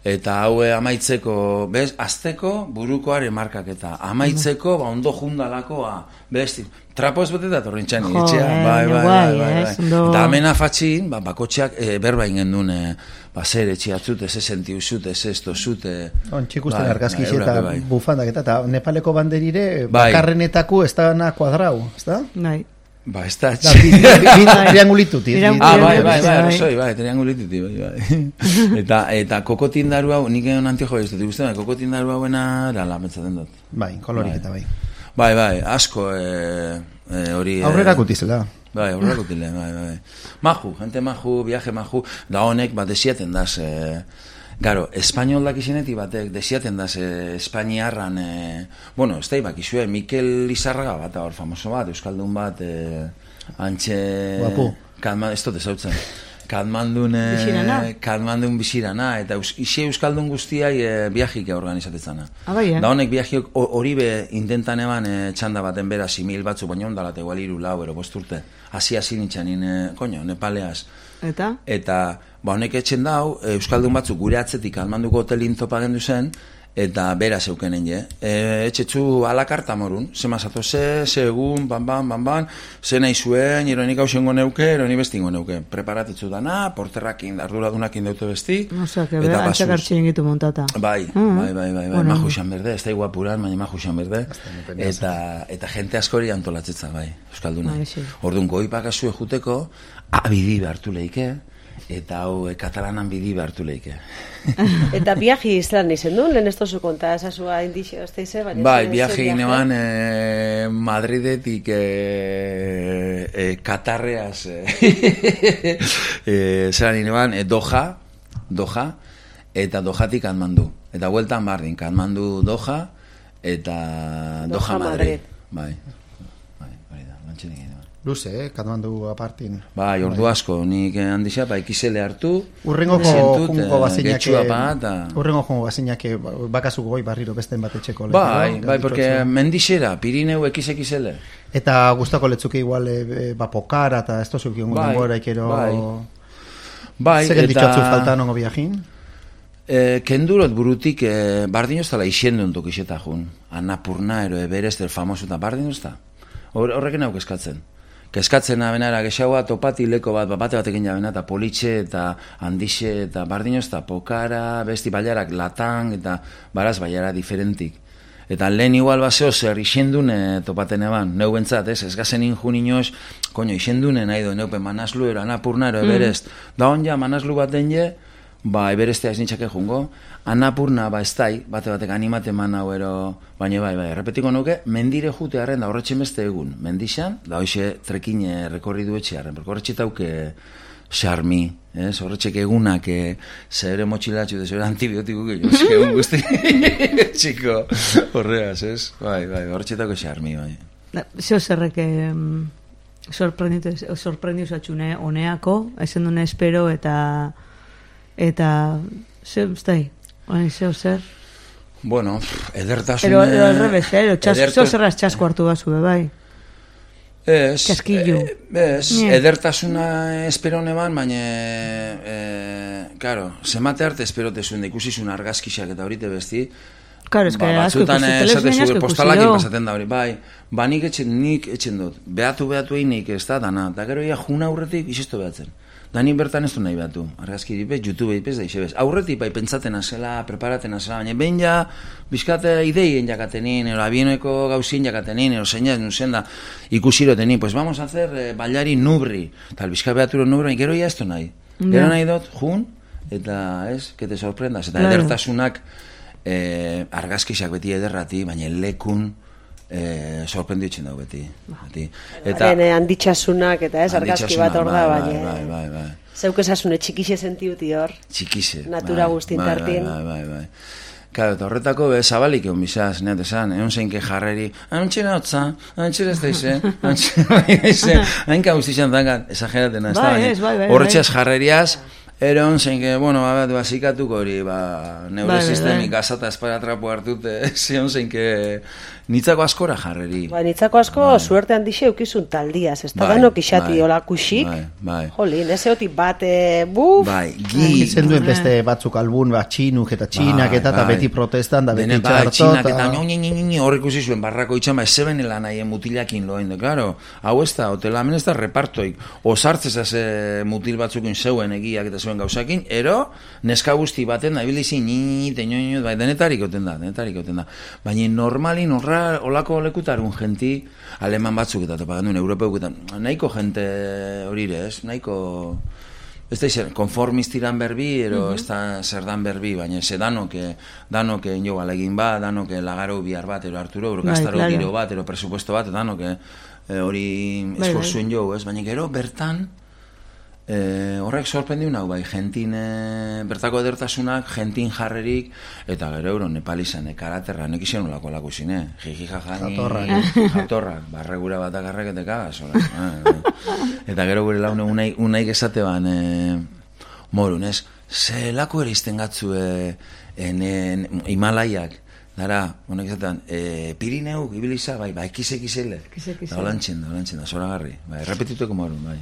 eta haue amaitzeko, bez, azteko burukoare markak eta amaitzeko, ba, ondo jundalakoa, besti, trapoz beteta torrintxan itxea, bai, bai, bai, bai, bai. Eta hemen afatxin, ba, bakotxeak e, berba ingen duen, e, ba, zer etxiatzute, ze senti usute, ze esto zute. On, txikusten argazkiz eta bai. Bufandak eta, eta Nepaleko banderire, bai. Bakarrenetako ez da na kuadrau, ez da? Bai. Ba, ez da, Da, bi- bi- bi- triangulituti. Triangul- Ah, bai, bai, bai, Bai. arrazoi, bai, triangulituti, bai, bai. Eta, eta kokotindaru hau, nik egon antiojo ez dut ikusten, bai, kokotindaru hauena, era lametzaten dut. Bai, kolorik eta bai. Bai, bai, asko, e, e, hori... e, Aurrera kutizela. Bai, aurrera kutile, bai, bai. Maju, gente maju, viaje maju, da honek, bat desiaten daz, e, Garo, espainolak izenetik batek desiaten daz e, Espainiarran, e, bueno, ez da ibakizue, Mikel Lizarraga bat, hor famoso bat, euskaldun bat, e, antxe... Guapu. Kadma, ez dut ezautzen. Kadmandun, e, Bizirana. Kadmandun bizirana, eta eus, isi euskaldun guztiai e, viajik organizatetzana. Ah, bai, eh? Da honek viajiok ho- hori be intentan eban e, txanda baten bera simil batzu, baina ondalat egual iru lau, ero bost urte. Hasi-hasi nintxanin, e, koño, Nepaleaz. Eta? Eta, ba, honek etxen dau, euskaldun batzuk gure atzetik almanduko hotelin topa gendu zen, eta bera zeukenen je. E, etxetzu alakarta morun, zema zato ze, ze egun, ban, ban, ban, ban, ze nahi zuen, ironik hausengo neuke, ironi bestingo neuke. Preparatetzu dana, porterrakin, arduradunakin deute besti. Osea, que eta bera basuz. antzak hartxin gitu montata. Bai, Mm. bai, bai, bai, bai, Bueno. maju xan berde, ez da iguapuran, baina maju xan berde, eta, eta jente askori antolatzetza, bai, euskalduna. Bai, sí. Orduan, goipak azue juteko, abidi behartu leike, eta hau e, katalanan bidi behartu leike. Eta viaji izan izen duen, lehen ez tozu konta, esasua indixio, ez teize, baina... Bai, ze- viaje ze ginean e, Madridetik e, e, Katarreaz e, e, zelan ginean e, Doha, Doha, eta Dohatik Katmandu. Eta bueltan bardin, Katmandu Doha, eta Doha, Doha, Madrid. Madrid. Bai, bai, hori da, lantxenik ginean. Luze, eh, Katmandu apartin. Bai, ordu asko, nik handixa, ba, ikizele hartu, Urrengoko sentut, jungo eh, bazinak... getxua pa, eta... Urrengo jungo bazinak bakazuko goi barriro besten bat etxeko. Bai, bai, porque mendixera, Pirineu ekiz ekizele. Eta gustako letzuke igual e, ba, pokara eta ez tozu kion Bai, denbora ikero... bai. Bai, Zeren ditxatzu eta... falta nongo viajin? E, kendurot burutik, e, bardin oztala isiendun tok iseta jun. Annapurna, ero Everest, el famoso, eta bardin ozta. Hor, horrekin hau keskatzen. Keskatzen abenara, gexaua topati leko bat, bate batekin jabena, eta politxe, eta handixe, eta bardin ozta, pokara, besti baiarak, latang, eta baraz baiara diferentik. Eta lehen igual baseo zer isendun e, topaten eban, neu bentzat, ez, ez gazen injun inoz, koño, isendunen nahi do, neupe manaslu, ero Annapurna, ero Everest. Da hon ja, manaslu baten je, ba, Everestea ez nintxake jungo, Annapurna, ba, ez dai, bate batek animate man hau ero, baina bai, bai, errepetiko nuke, mendire jute harren da horretxe beste egun, mendixan, da hoxe trekine rekorri du etxe harren, horretxe tauke xarmi, ez, horretxek egunak, e, zere motxilatxu, de zere antibiotiku gehiago, egun guzti, txiko, horreaz, ez, bai, bai, horretxe tauke xarmi, bai. Zeo zerrek em, sorprenditu sorprendiu zatxune honeako, ezen dune espero eta eta zeo, ez da, hori zeo zer. Bueno, edertasune... Ero, ero al revés, eh? Ero, txas, edertu- zeo zerraz txasko hartu bazu, be, bai. Ez, Txaskillo. eh, ez, Nie. edertasuna esperone ban, baina, e, claro, zemate arte esperotezun da ikusizun argazkixak eta horite besti, Claro, es que ba, asko batzutan ikusi, esate telebistan zuge asko postalakin ikusi, pasaten da hori, bai, ba nik etxen, nik etxen dut, behatu behatu egin nik ez da, dana, eta gero ia juna aurretik isisto behatzen. Da nik bertan ez du nahi behatu, argazki dipez, YouTube dipez da isebez. Aurretik bai pentsaten azela, preparaten azela, baina behin ja, bizkate ideien jakatenin, ero abieneko gauzin jakatenin, ero zeinak nuzen da, ikusirotenin, pues vamos a hacer eh, bailari nubri, tal bizka behaturo nubri, baina gero ja ez du nahi. Gero Ja. nahi dut, jun, eta ez, que te sorprendas, eta Claro. edertasunak, eh, argazkisak beti ederrati, baina lekun eh, sorprenditzen dago beti. beti. Eta handitxasunak eta ez, argazki bat hor da, bai, baina... bai, bai, bai. Zeuk esasune txikixe sentiuti hor. Txikize. Natura bai, guztin bai, tartin. Bai, bai, bai. Claro, eta horretako be, zabalik egon bizaz, neat esan, egon zeinke jarreri, antxera hotza, antxera ez da ize, antxera ize, hainka guztizan dangan, esageraten, ez da, Bai, ez, bai, bai, horretxeaz jarreriaz, eron zeinke, bueno, bat, bazikatuko hori, ba, neure Bai, bai, sistemik bai. gazata esparatrapo hartute, zion zeinke, nitzako askora jarreri. Ba, nitzako asko suerte handixe eukizun taldiaz, ez da Bai, danok isati bai, hola kusik. bai, bai. Jolin, ez eotik bate, buf, Bai, gi, Izen duen beste batzuk albun, bat txinuk eta txinak Bai, eta, eta bai. beti protestan, da beti Dene, bai, txarto. txinak eta eta- nio, nio, nio, nio, hor ikusi zuen barrako itxan, ba, zeben elan haien mutilakin loen, de, claro, hau ez da, hotela hemen ez da repartoik, osartzez haze mutil batzukin zeuen egiak eta zeuen gauzakin, ero, neska guzti baten, da, ibilizin, nio, nio, bai, denetarik oten da, denetarik oten da, baina normalin horra horra, olako lekutarun genti, aleman batzuk eta topa gendun, europeuk eta nahiko jente horire, ez? Nahiko... Ez da izan, konformistiran berbi, ero ez da zer dan berbi, baina ze danoke, danoke jo alegin bat, danoke lagaro bihar bat, ero Arturo, ero gaztaro claro. giro bat, ero presupuesto bat, danoke hori Bai, esforzuen jo, ez? Baina gero bertan, E, horrek sorprendiu nau, bai, gentin, e, bertako edertasunak, gentin jarrerik, eta gero euro nepalizan, karaterra, nek izan olako lako zine, jiji jajani, Jatorrak. jatorrak, barregura bat agarrek eta kagaz, eta gero gure laune unai, unaik esate ban, e, morun, ez, ze lako ere izten gatzu e, en, en, Himalaiak, dara, honek izatean, e, Pirineuk, ibiliza, bai, bai, kise kisele, Kise-kisele. da holantxen, da holantxen, da zoragarri, bai, repetituko morun, bai.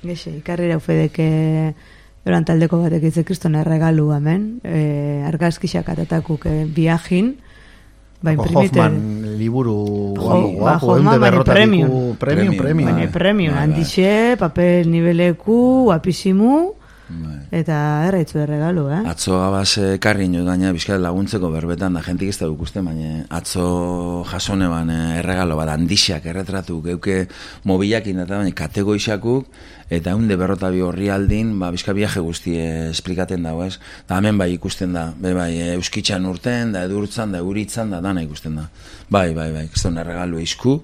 Gexe, ikarrira ufedeke eran taldeko batek itze kristone regalu hemen, e, argazkixak atatakuk e, viajin, ba, imprimite... Hoffman liburu Jo, ba, Hoffman, baina premium. premium, Premium, premium. Baina bai. premium, Bai, bai. handixe, papel nibeleku, guapisimu, Bai. eta erraitzu de regalu, eh? Atzo abaz ekarri ino gaina bizkat laguntzeko berbetan da jentik ez da dukusten, baina atzo jasone ban eh, erregalo bat handixak erretratu geuke mobilakin eta baina kategoixakuk eta hunde berrota bi horri aldin, ba, bizka viaje guzti eh, esplikaten dago, ez? Da hemen bai ikusten da, be, bai, eh, euskitxan urten, da edurtzan, da euritzan, da dana ikusten da. Bai, bai, bai, ez da erregalu eizku,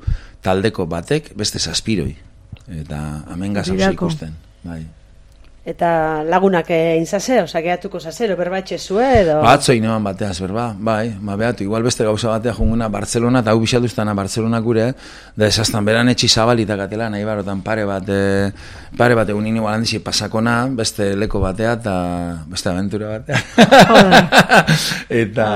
taldeko batek beste zazpiroi. Eta hemen gazauze Birako. ikusten, bai. Eta lagunak egin zase, oza, gehatuko zase, berbatxe zue, edo... Atzo ineban bateaz, berba, bai, ma behatu, igual beste gauza batea junguna Barcelona, eta hau bixatuztana Barcelona gure, da esaztan beran etxi zabalita katela, nahi barotan pare bat, e, pare bat egun igual handizi pasakona, beste leko batea, eta beste aventura batea. eta,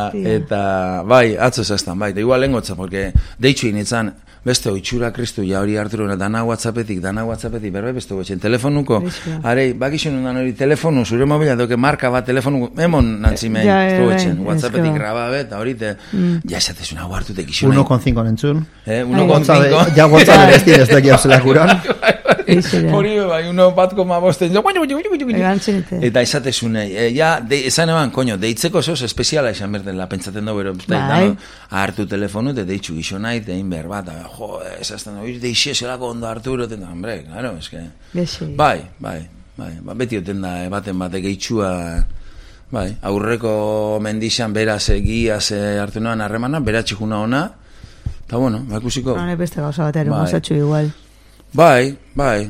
Hostia. eta, bai, atzo esaztan, bai, eta igual lengotza, porque deitxu initzan, beste oitxura kristu ja hori Arturo, dana whatsappetik, dana whatsappetik, berbe, beste gotxen, telefonuko, Bixia. arei, bakixen dan hori telefonu, zure mobila, doke marka bat telefonu, emon nantzimei, Ja, ja, gotxen, bai, whatsappetik eske ba. grababe, eta hori te, ja esatezun hau hartutek iso uno con cinco nentzun. eh, uno Ai. con cinco, Ja WhatsApp ez dira ez daki hausela guran. Eixe da. hori bai, uno bat koma bosten, jo, guaino, guaino, guaino, guaino. Egantzunete. Eta esatezunei, e, ja, de, esan eban, koño, deitzeko zoz espeziala esan bertela, pentsaten dugu, bero, Bai. hartu telefonu, eta deitxu gixo nahi, eta egin behar bat, eta, jo, esazten, oiz, deixe zelako ondo Arturo, eta, hombre, claro, eske, Gexe. bai, bai, bai, ba, beti oten da, eh, baten batek geitxua, bai, aurreko mendixan beraz egiaz e, hartu noan harremana, beratxikuna ona, eta bueno, ba, ikusiko, Hone beste gauza bat ere, Bai. mozatxu igual. bai, bai,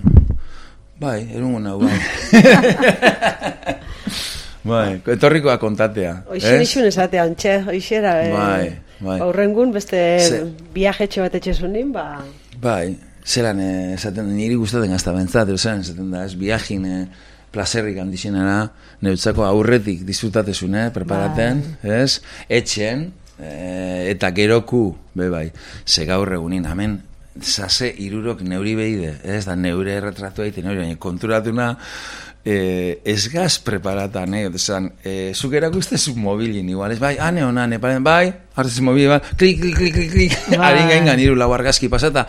bai, erungo nau, bai. Bai, etorrikoa kontatea. Oixen ez? isun esatea, ontxe, oixera, eh, Bai, bai. aurrengun beste Ze- viajetxo bat etxezunin, ba... Bai, zelan eh, esaten, niri gustaten gazta bentzat, zelan esaten da, ez, viajin eh, plazerrik handixenera, neutzako aurretik disfrutatezun, eh, preparaten, ez, etxen, eh, eta geroku, be bai, ze gaur egunin, hemen, zase irurok neuri behide, ez, da neure erretratu egiten, neuri, baina konturatuna, eh, ez gaz preparatan, eh, esan, eh, zuk erakustezu mobilin, igual, ez, bai, ane hona, ane, paren, bai, hartzezu mobil, bai, klik, klik, klik, klik, klik, Bai. harin gaingan iru lau argazki pasata,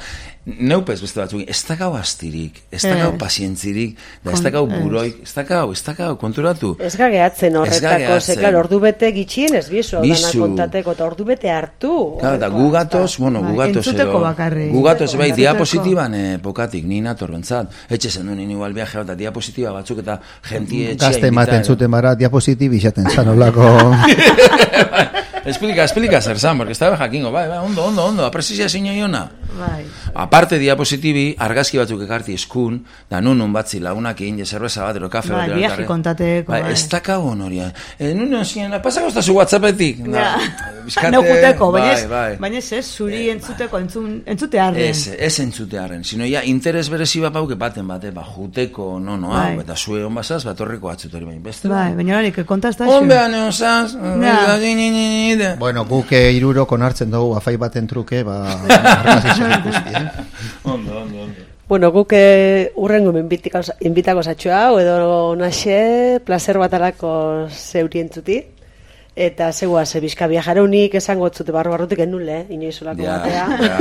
neupez beste batzuk, ez dakau astirik, ez dakau Ez. pazientzirik, da ez dakau Ez. buroik, ez dakau, ez dakau, konturatu. Ez gageatzen Ez horretako, gageatzen. ze, klar, ordu bete gitxien ez bizu, Bizu. dana kontateko, eta ordu bete hartu. Claro, eta gu gatoz, bueno, gu Bai, gatoz entzuteko edo- bakarrik. gu gatoz, bai, Entzuteko. diapositiban eh, pokatik, ni nator bentzat, etxe zen duen igual viaje bat, eta diapositiba batzuk eta jentie etxea Gazte ematen invitar. zuten bara, diapositib izaten zan olako... Explica, explica zer zan, porque estaba jakingo, bai, bai, ondo, ondo, ondo, aprezizia zinio iona. Bai. Aparte diapositibi, argazki batzuk ekarti eskun, da nunun batzi lagunakin, je zerbeza bat, ero kafe Bai, bat. viaje kontateko, Bai, bai. ez dakau honoria. E, nunun ziren, pasako ez da zu WhatsAppetik. Ja. bizkate- Neu juteko, baina ez, bai, bai. baina ez, ez, zuri entzuteko, entzun, entzute arren. Ez, ez entzutearen, sino ja, interes berezi bat pauke baten bate, ba, juteko, no, no, Bai. hau, eta zue hon basaz, bat horreko atzutori bain, beste. Bai, baina horik, kontazta Honbean eosaz, Ja. Bueno, guk irurok onartzen dugu afai baten truke, ba... argazkiak ikusti, eh? Ondo, ondo, ondo. Bueno, guk eh, urrengo inbitako zatxo hau, edo naxe, placer batalako zeurientzuti. Eta zegoa, ze bizka viajareunik esango zute barru barrutik enule, inoizolako Ja, batea. ja.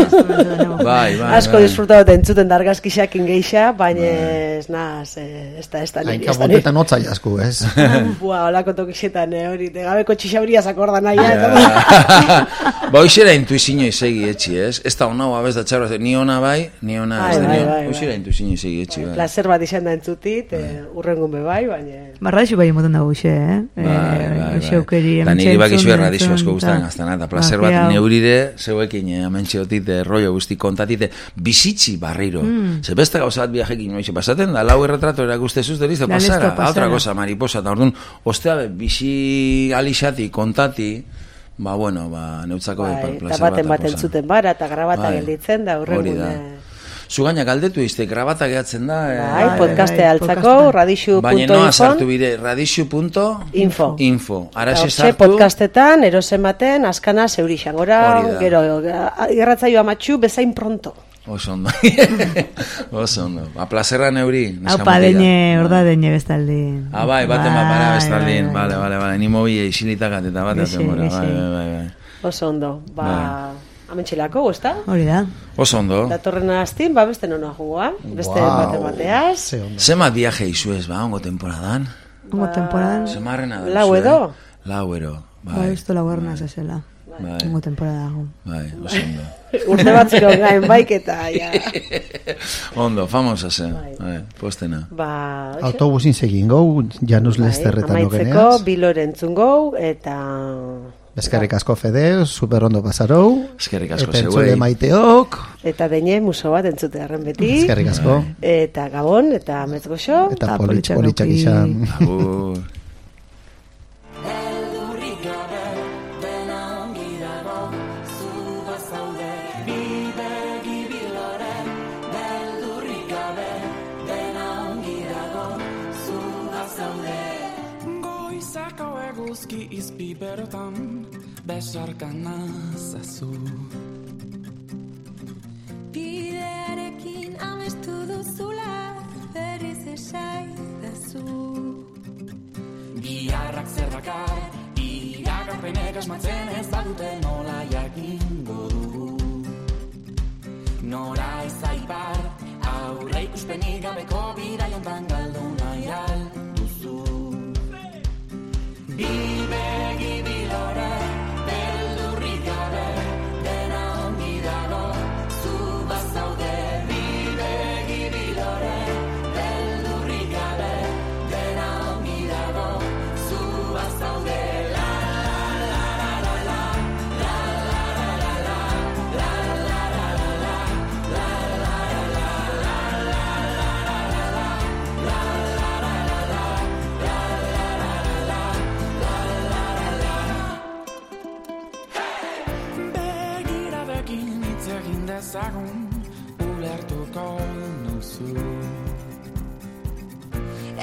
Bai, bai, Asko bai. disfrutatu entzuten dargazkixak ingeixa, baina ez naz, ez da, ez da niri, Hainka ez da niri. botetan hotza jasku, ez? Bua, olako tokixetan, eh, hori, de gabeko txixauria zakorda nahi, Ba, hoxera intuizio izegi etxi, ez? Ez da hona, abez da txarra, ni hona bai, ni hona, Bai, ez da bai, ni bai, bai. hoxera intuizio izegi etxi, bai. Placer bat izan da entzutit, eh, urrengun be bai, baina... Barradixu bai emoten dago xe, eh? Bai, bai, bai. Xeukeri, Da niri bakizu entzun, erradizu asko entzun, guztan ta- gaztana, eta placer bat Magia hau. neurire, zeuekin, eh, amentxeotit, eh, rollo guzti kontatite, bizitzi barriro. Mm. Ze beste gauza bat viajekin noiz, pasaten da, lau erretrato erakustezuz, deriz, da Da, listo, pasara, pasara. otra cosa, mariposa, eta orduan, ostea, be, bizi alixati, kontati, ba, bueno, ba, neutzako be, Bai, eta placer baten bat baten zuten bara, eta grabata Bai, gelditzen da, hori urrengun... da. eh, Zu gaina galdetu izte, grabata gehatzen da. eh, Bai, bai, podcaste bai, altzako, podcasta. radixu Baina punto noa sartu info, bide, radixu punto info. info. Ara Eta se hortxe, sartu. podcastetan, erosen baten, askana zeurixan. Gora, Hori da. gero, irratzaio amatxu, bezain pronto. Oso ondo. Oso ondo. A plazerra neuri. neska Haupa, mutila. deine, orda deine bestaldi. Ah, bai, baten bat para Bai, bestaldin. bai, Vale, bai. vale, vale. Ni mobile isilitakat eta bat Bizi, atemora. bizi. Bai, bai, bai, bai. Oso ondo. Ba, amentxelako, ezta? Hori da. Oso ondo. Datorren astin, ba, beste nona jugua. Beste Guau. bate bateaz. Ze ondo. Zema viaje izu ez, ba, ongo temporadan. Ongo temporadan, Zemarrena da. Lau edo? Lau edo. bai, Bai, usto laguerna zezela. bai, Ongo temporada dago. bai, oso ondo. Urte batzuk gain baik eta, ja. Ondo, famosa zen. Bai, postena. Ba, hoxe. Autobusin segin gau, Janus Bai, Lesterretan amaitzeko, ogeneaz. Bilor entzun gau, eta... Eskerrik asko Fede, super ondo pasarou. Eskerrik asko Eta entzule zeuei. maiteok. Eta deine muso bat entzute harren beti. Eskerrik asko. Eta Gabon, eta Metzgoxo. Eta Eta politx, politxak politxak eduki. izan. Agur. Beldurrik gabe, dena ongi dago, zu bazaude, bidegi bilore. Beldurrik gabe, dena ongi dago, zu bazaude. Goizako eguzki izpi berotan, besarkan nazazu. Bidearekin amestu duzula berriz esaidazu. Biharrak zer dakar, iragarpenek asmatzen ez badute nola jakingo dugu. Nora ez aipar, aurre ikuspenik gabeko bidaiontan galdu nahi alduzu. Bibegi bilore, beldurrik gabe, dena ongi dago, zu bazaude. Bibegi bilore, beldurrik gabe, dena ongi dago, zu bazaude. La la la la la, la la la la la, la la la la la, la la la la la, la la la la la, la la la la la, la la la la la. Begiradekin hitz egin dezagun, ulertuko nuzu.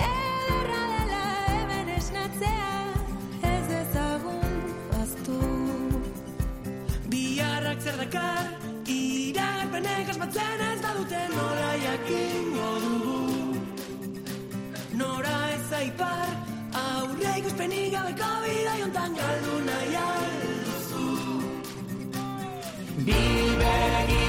Ederra dela hemen esnatzea, ez dezagun baztu. Biharrak zer dakar, iragarpenek asmatzen ez badute nola jakingo dugu. Nora ez aipar, aurre ikuspenik gabeko bidaiontan galdu nahi alduzu. Bibegi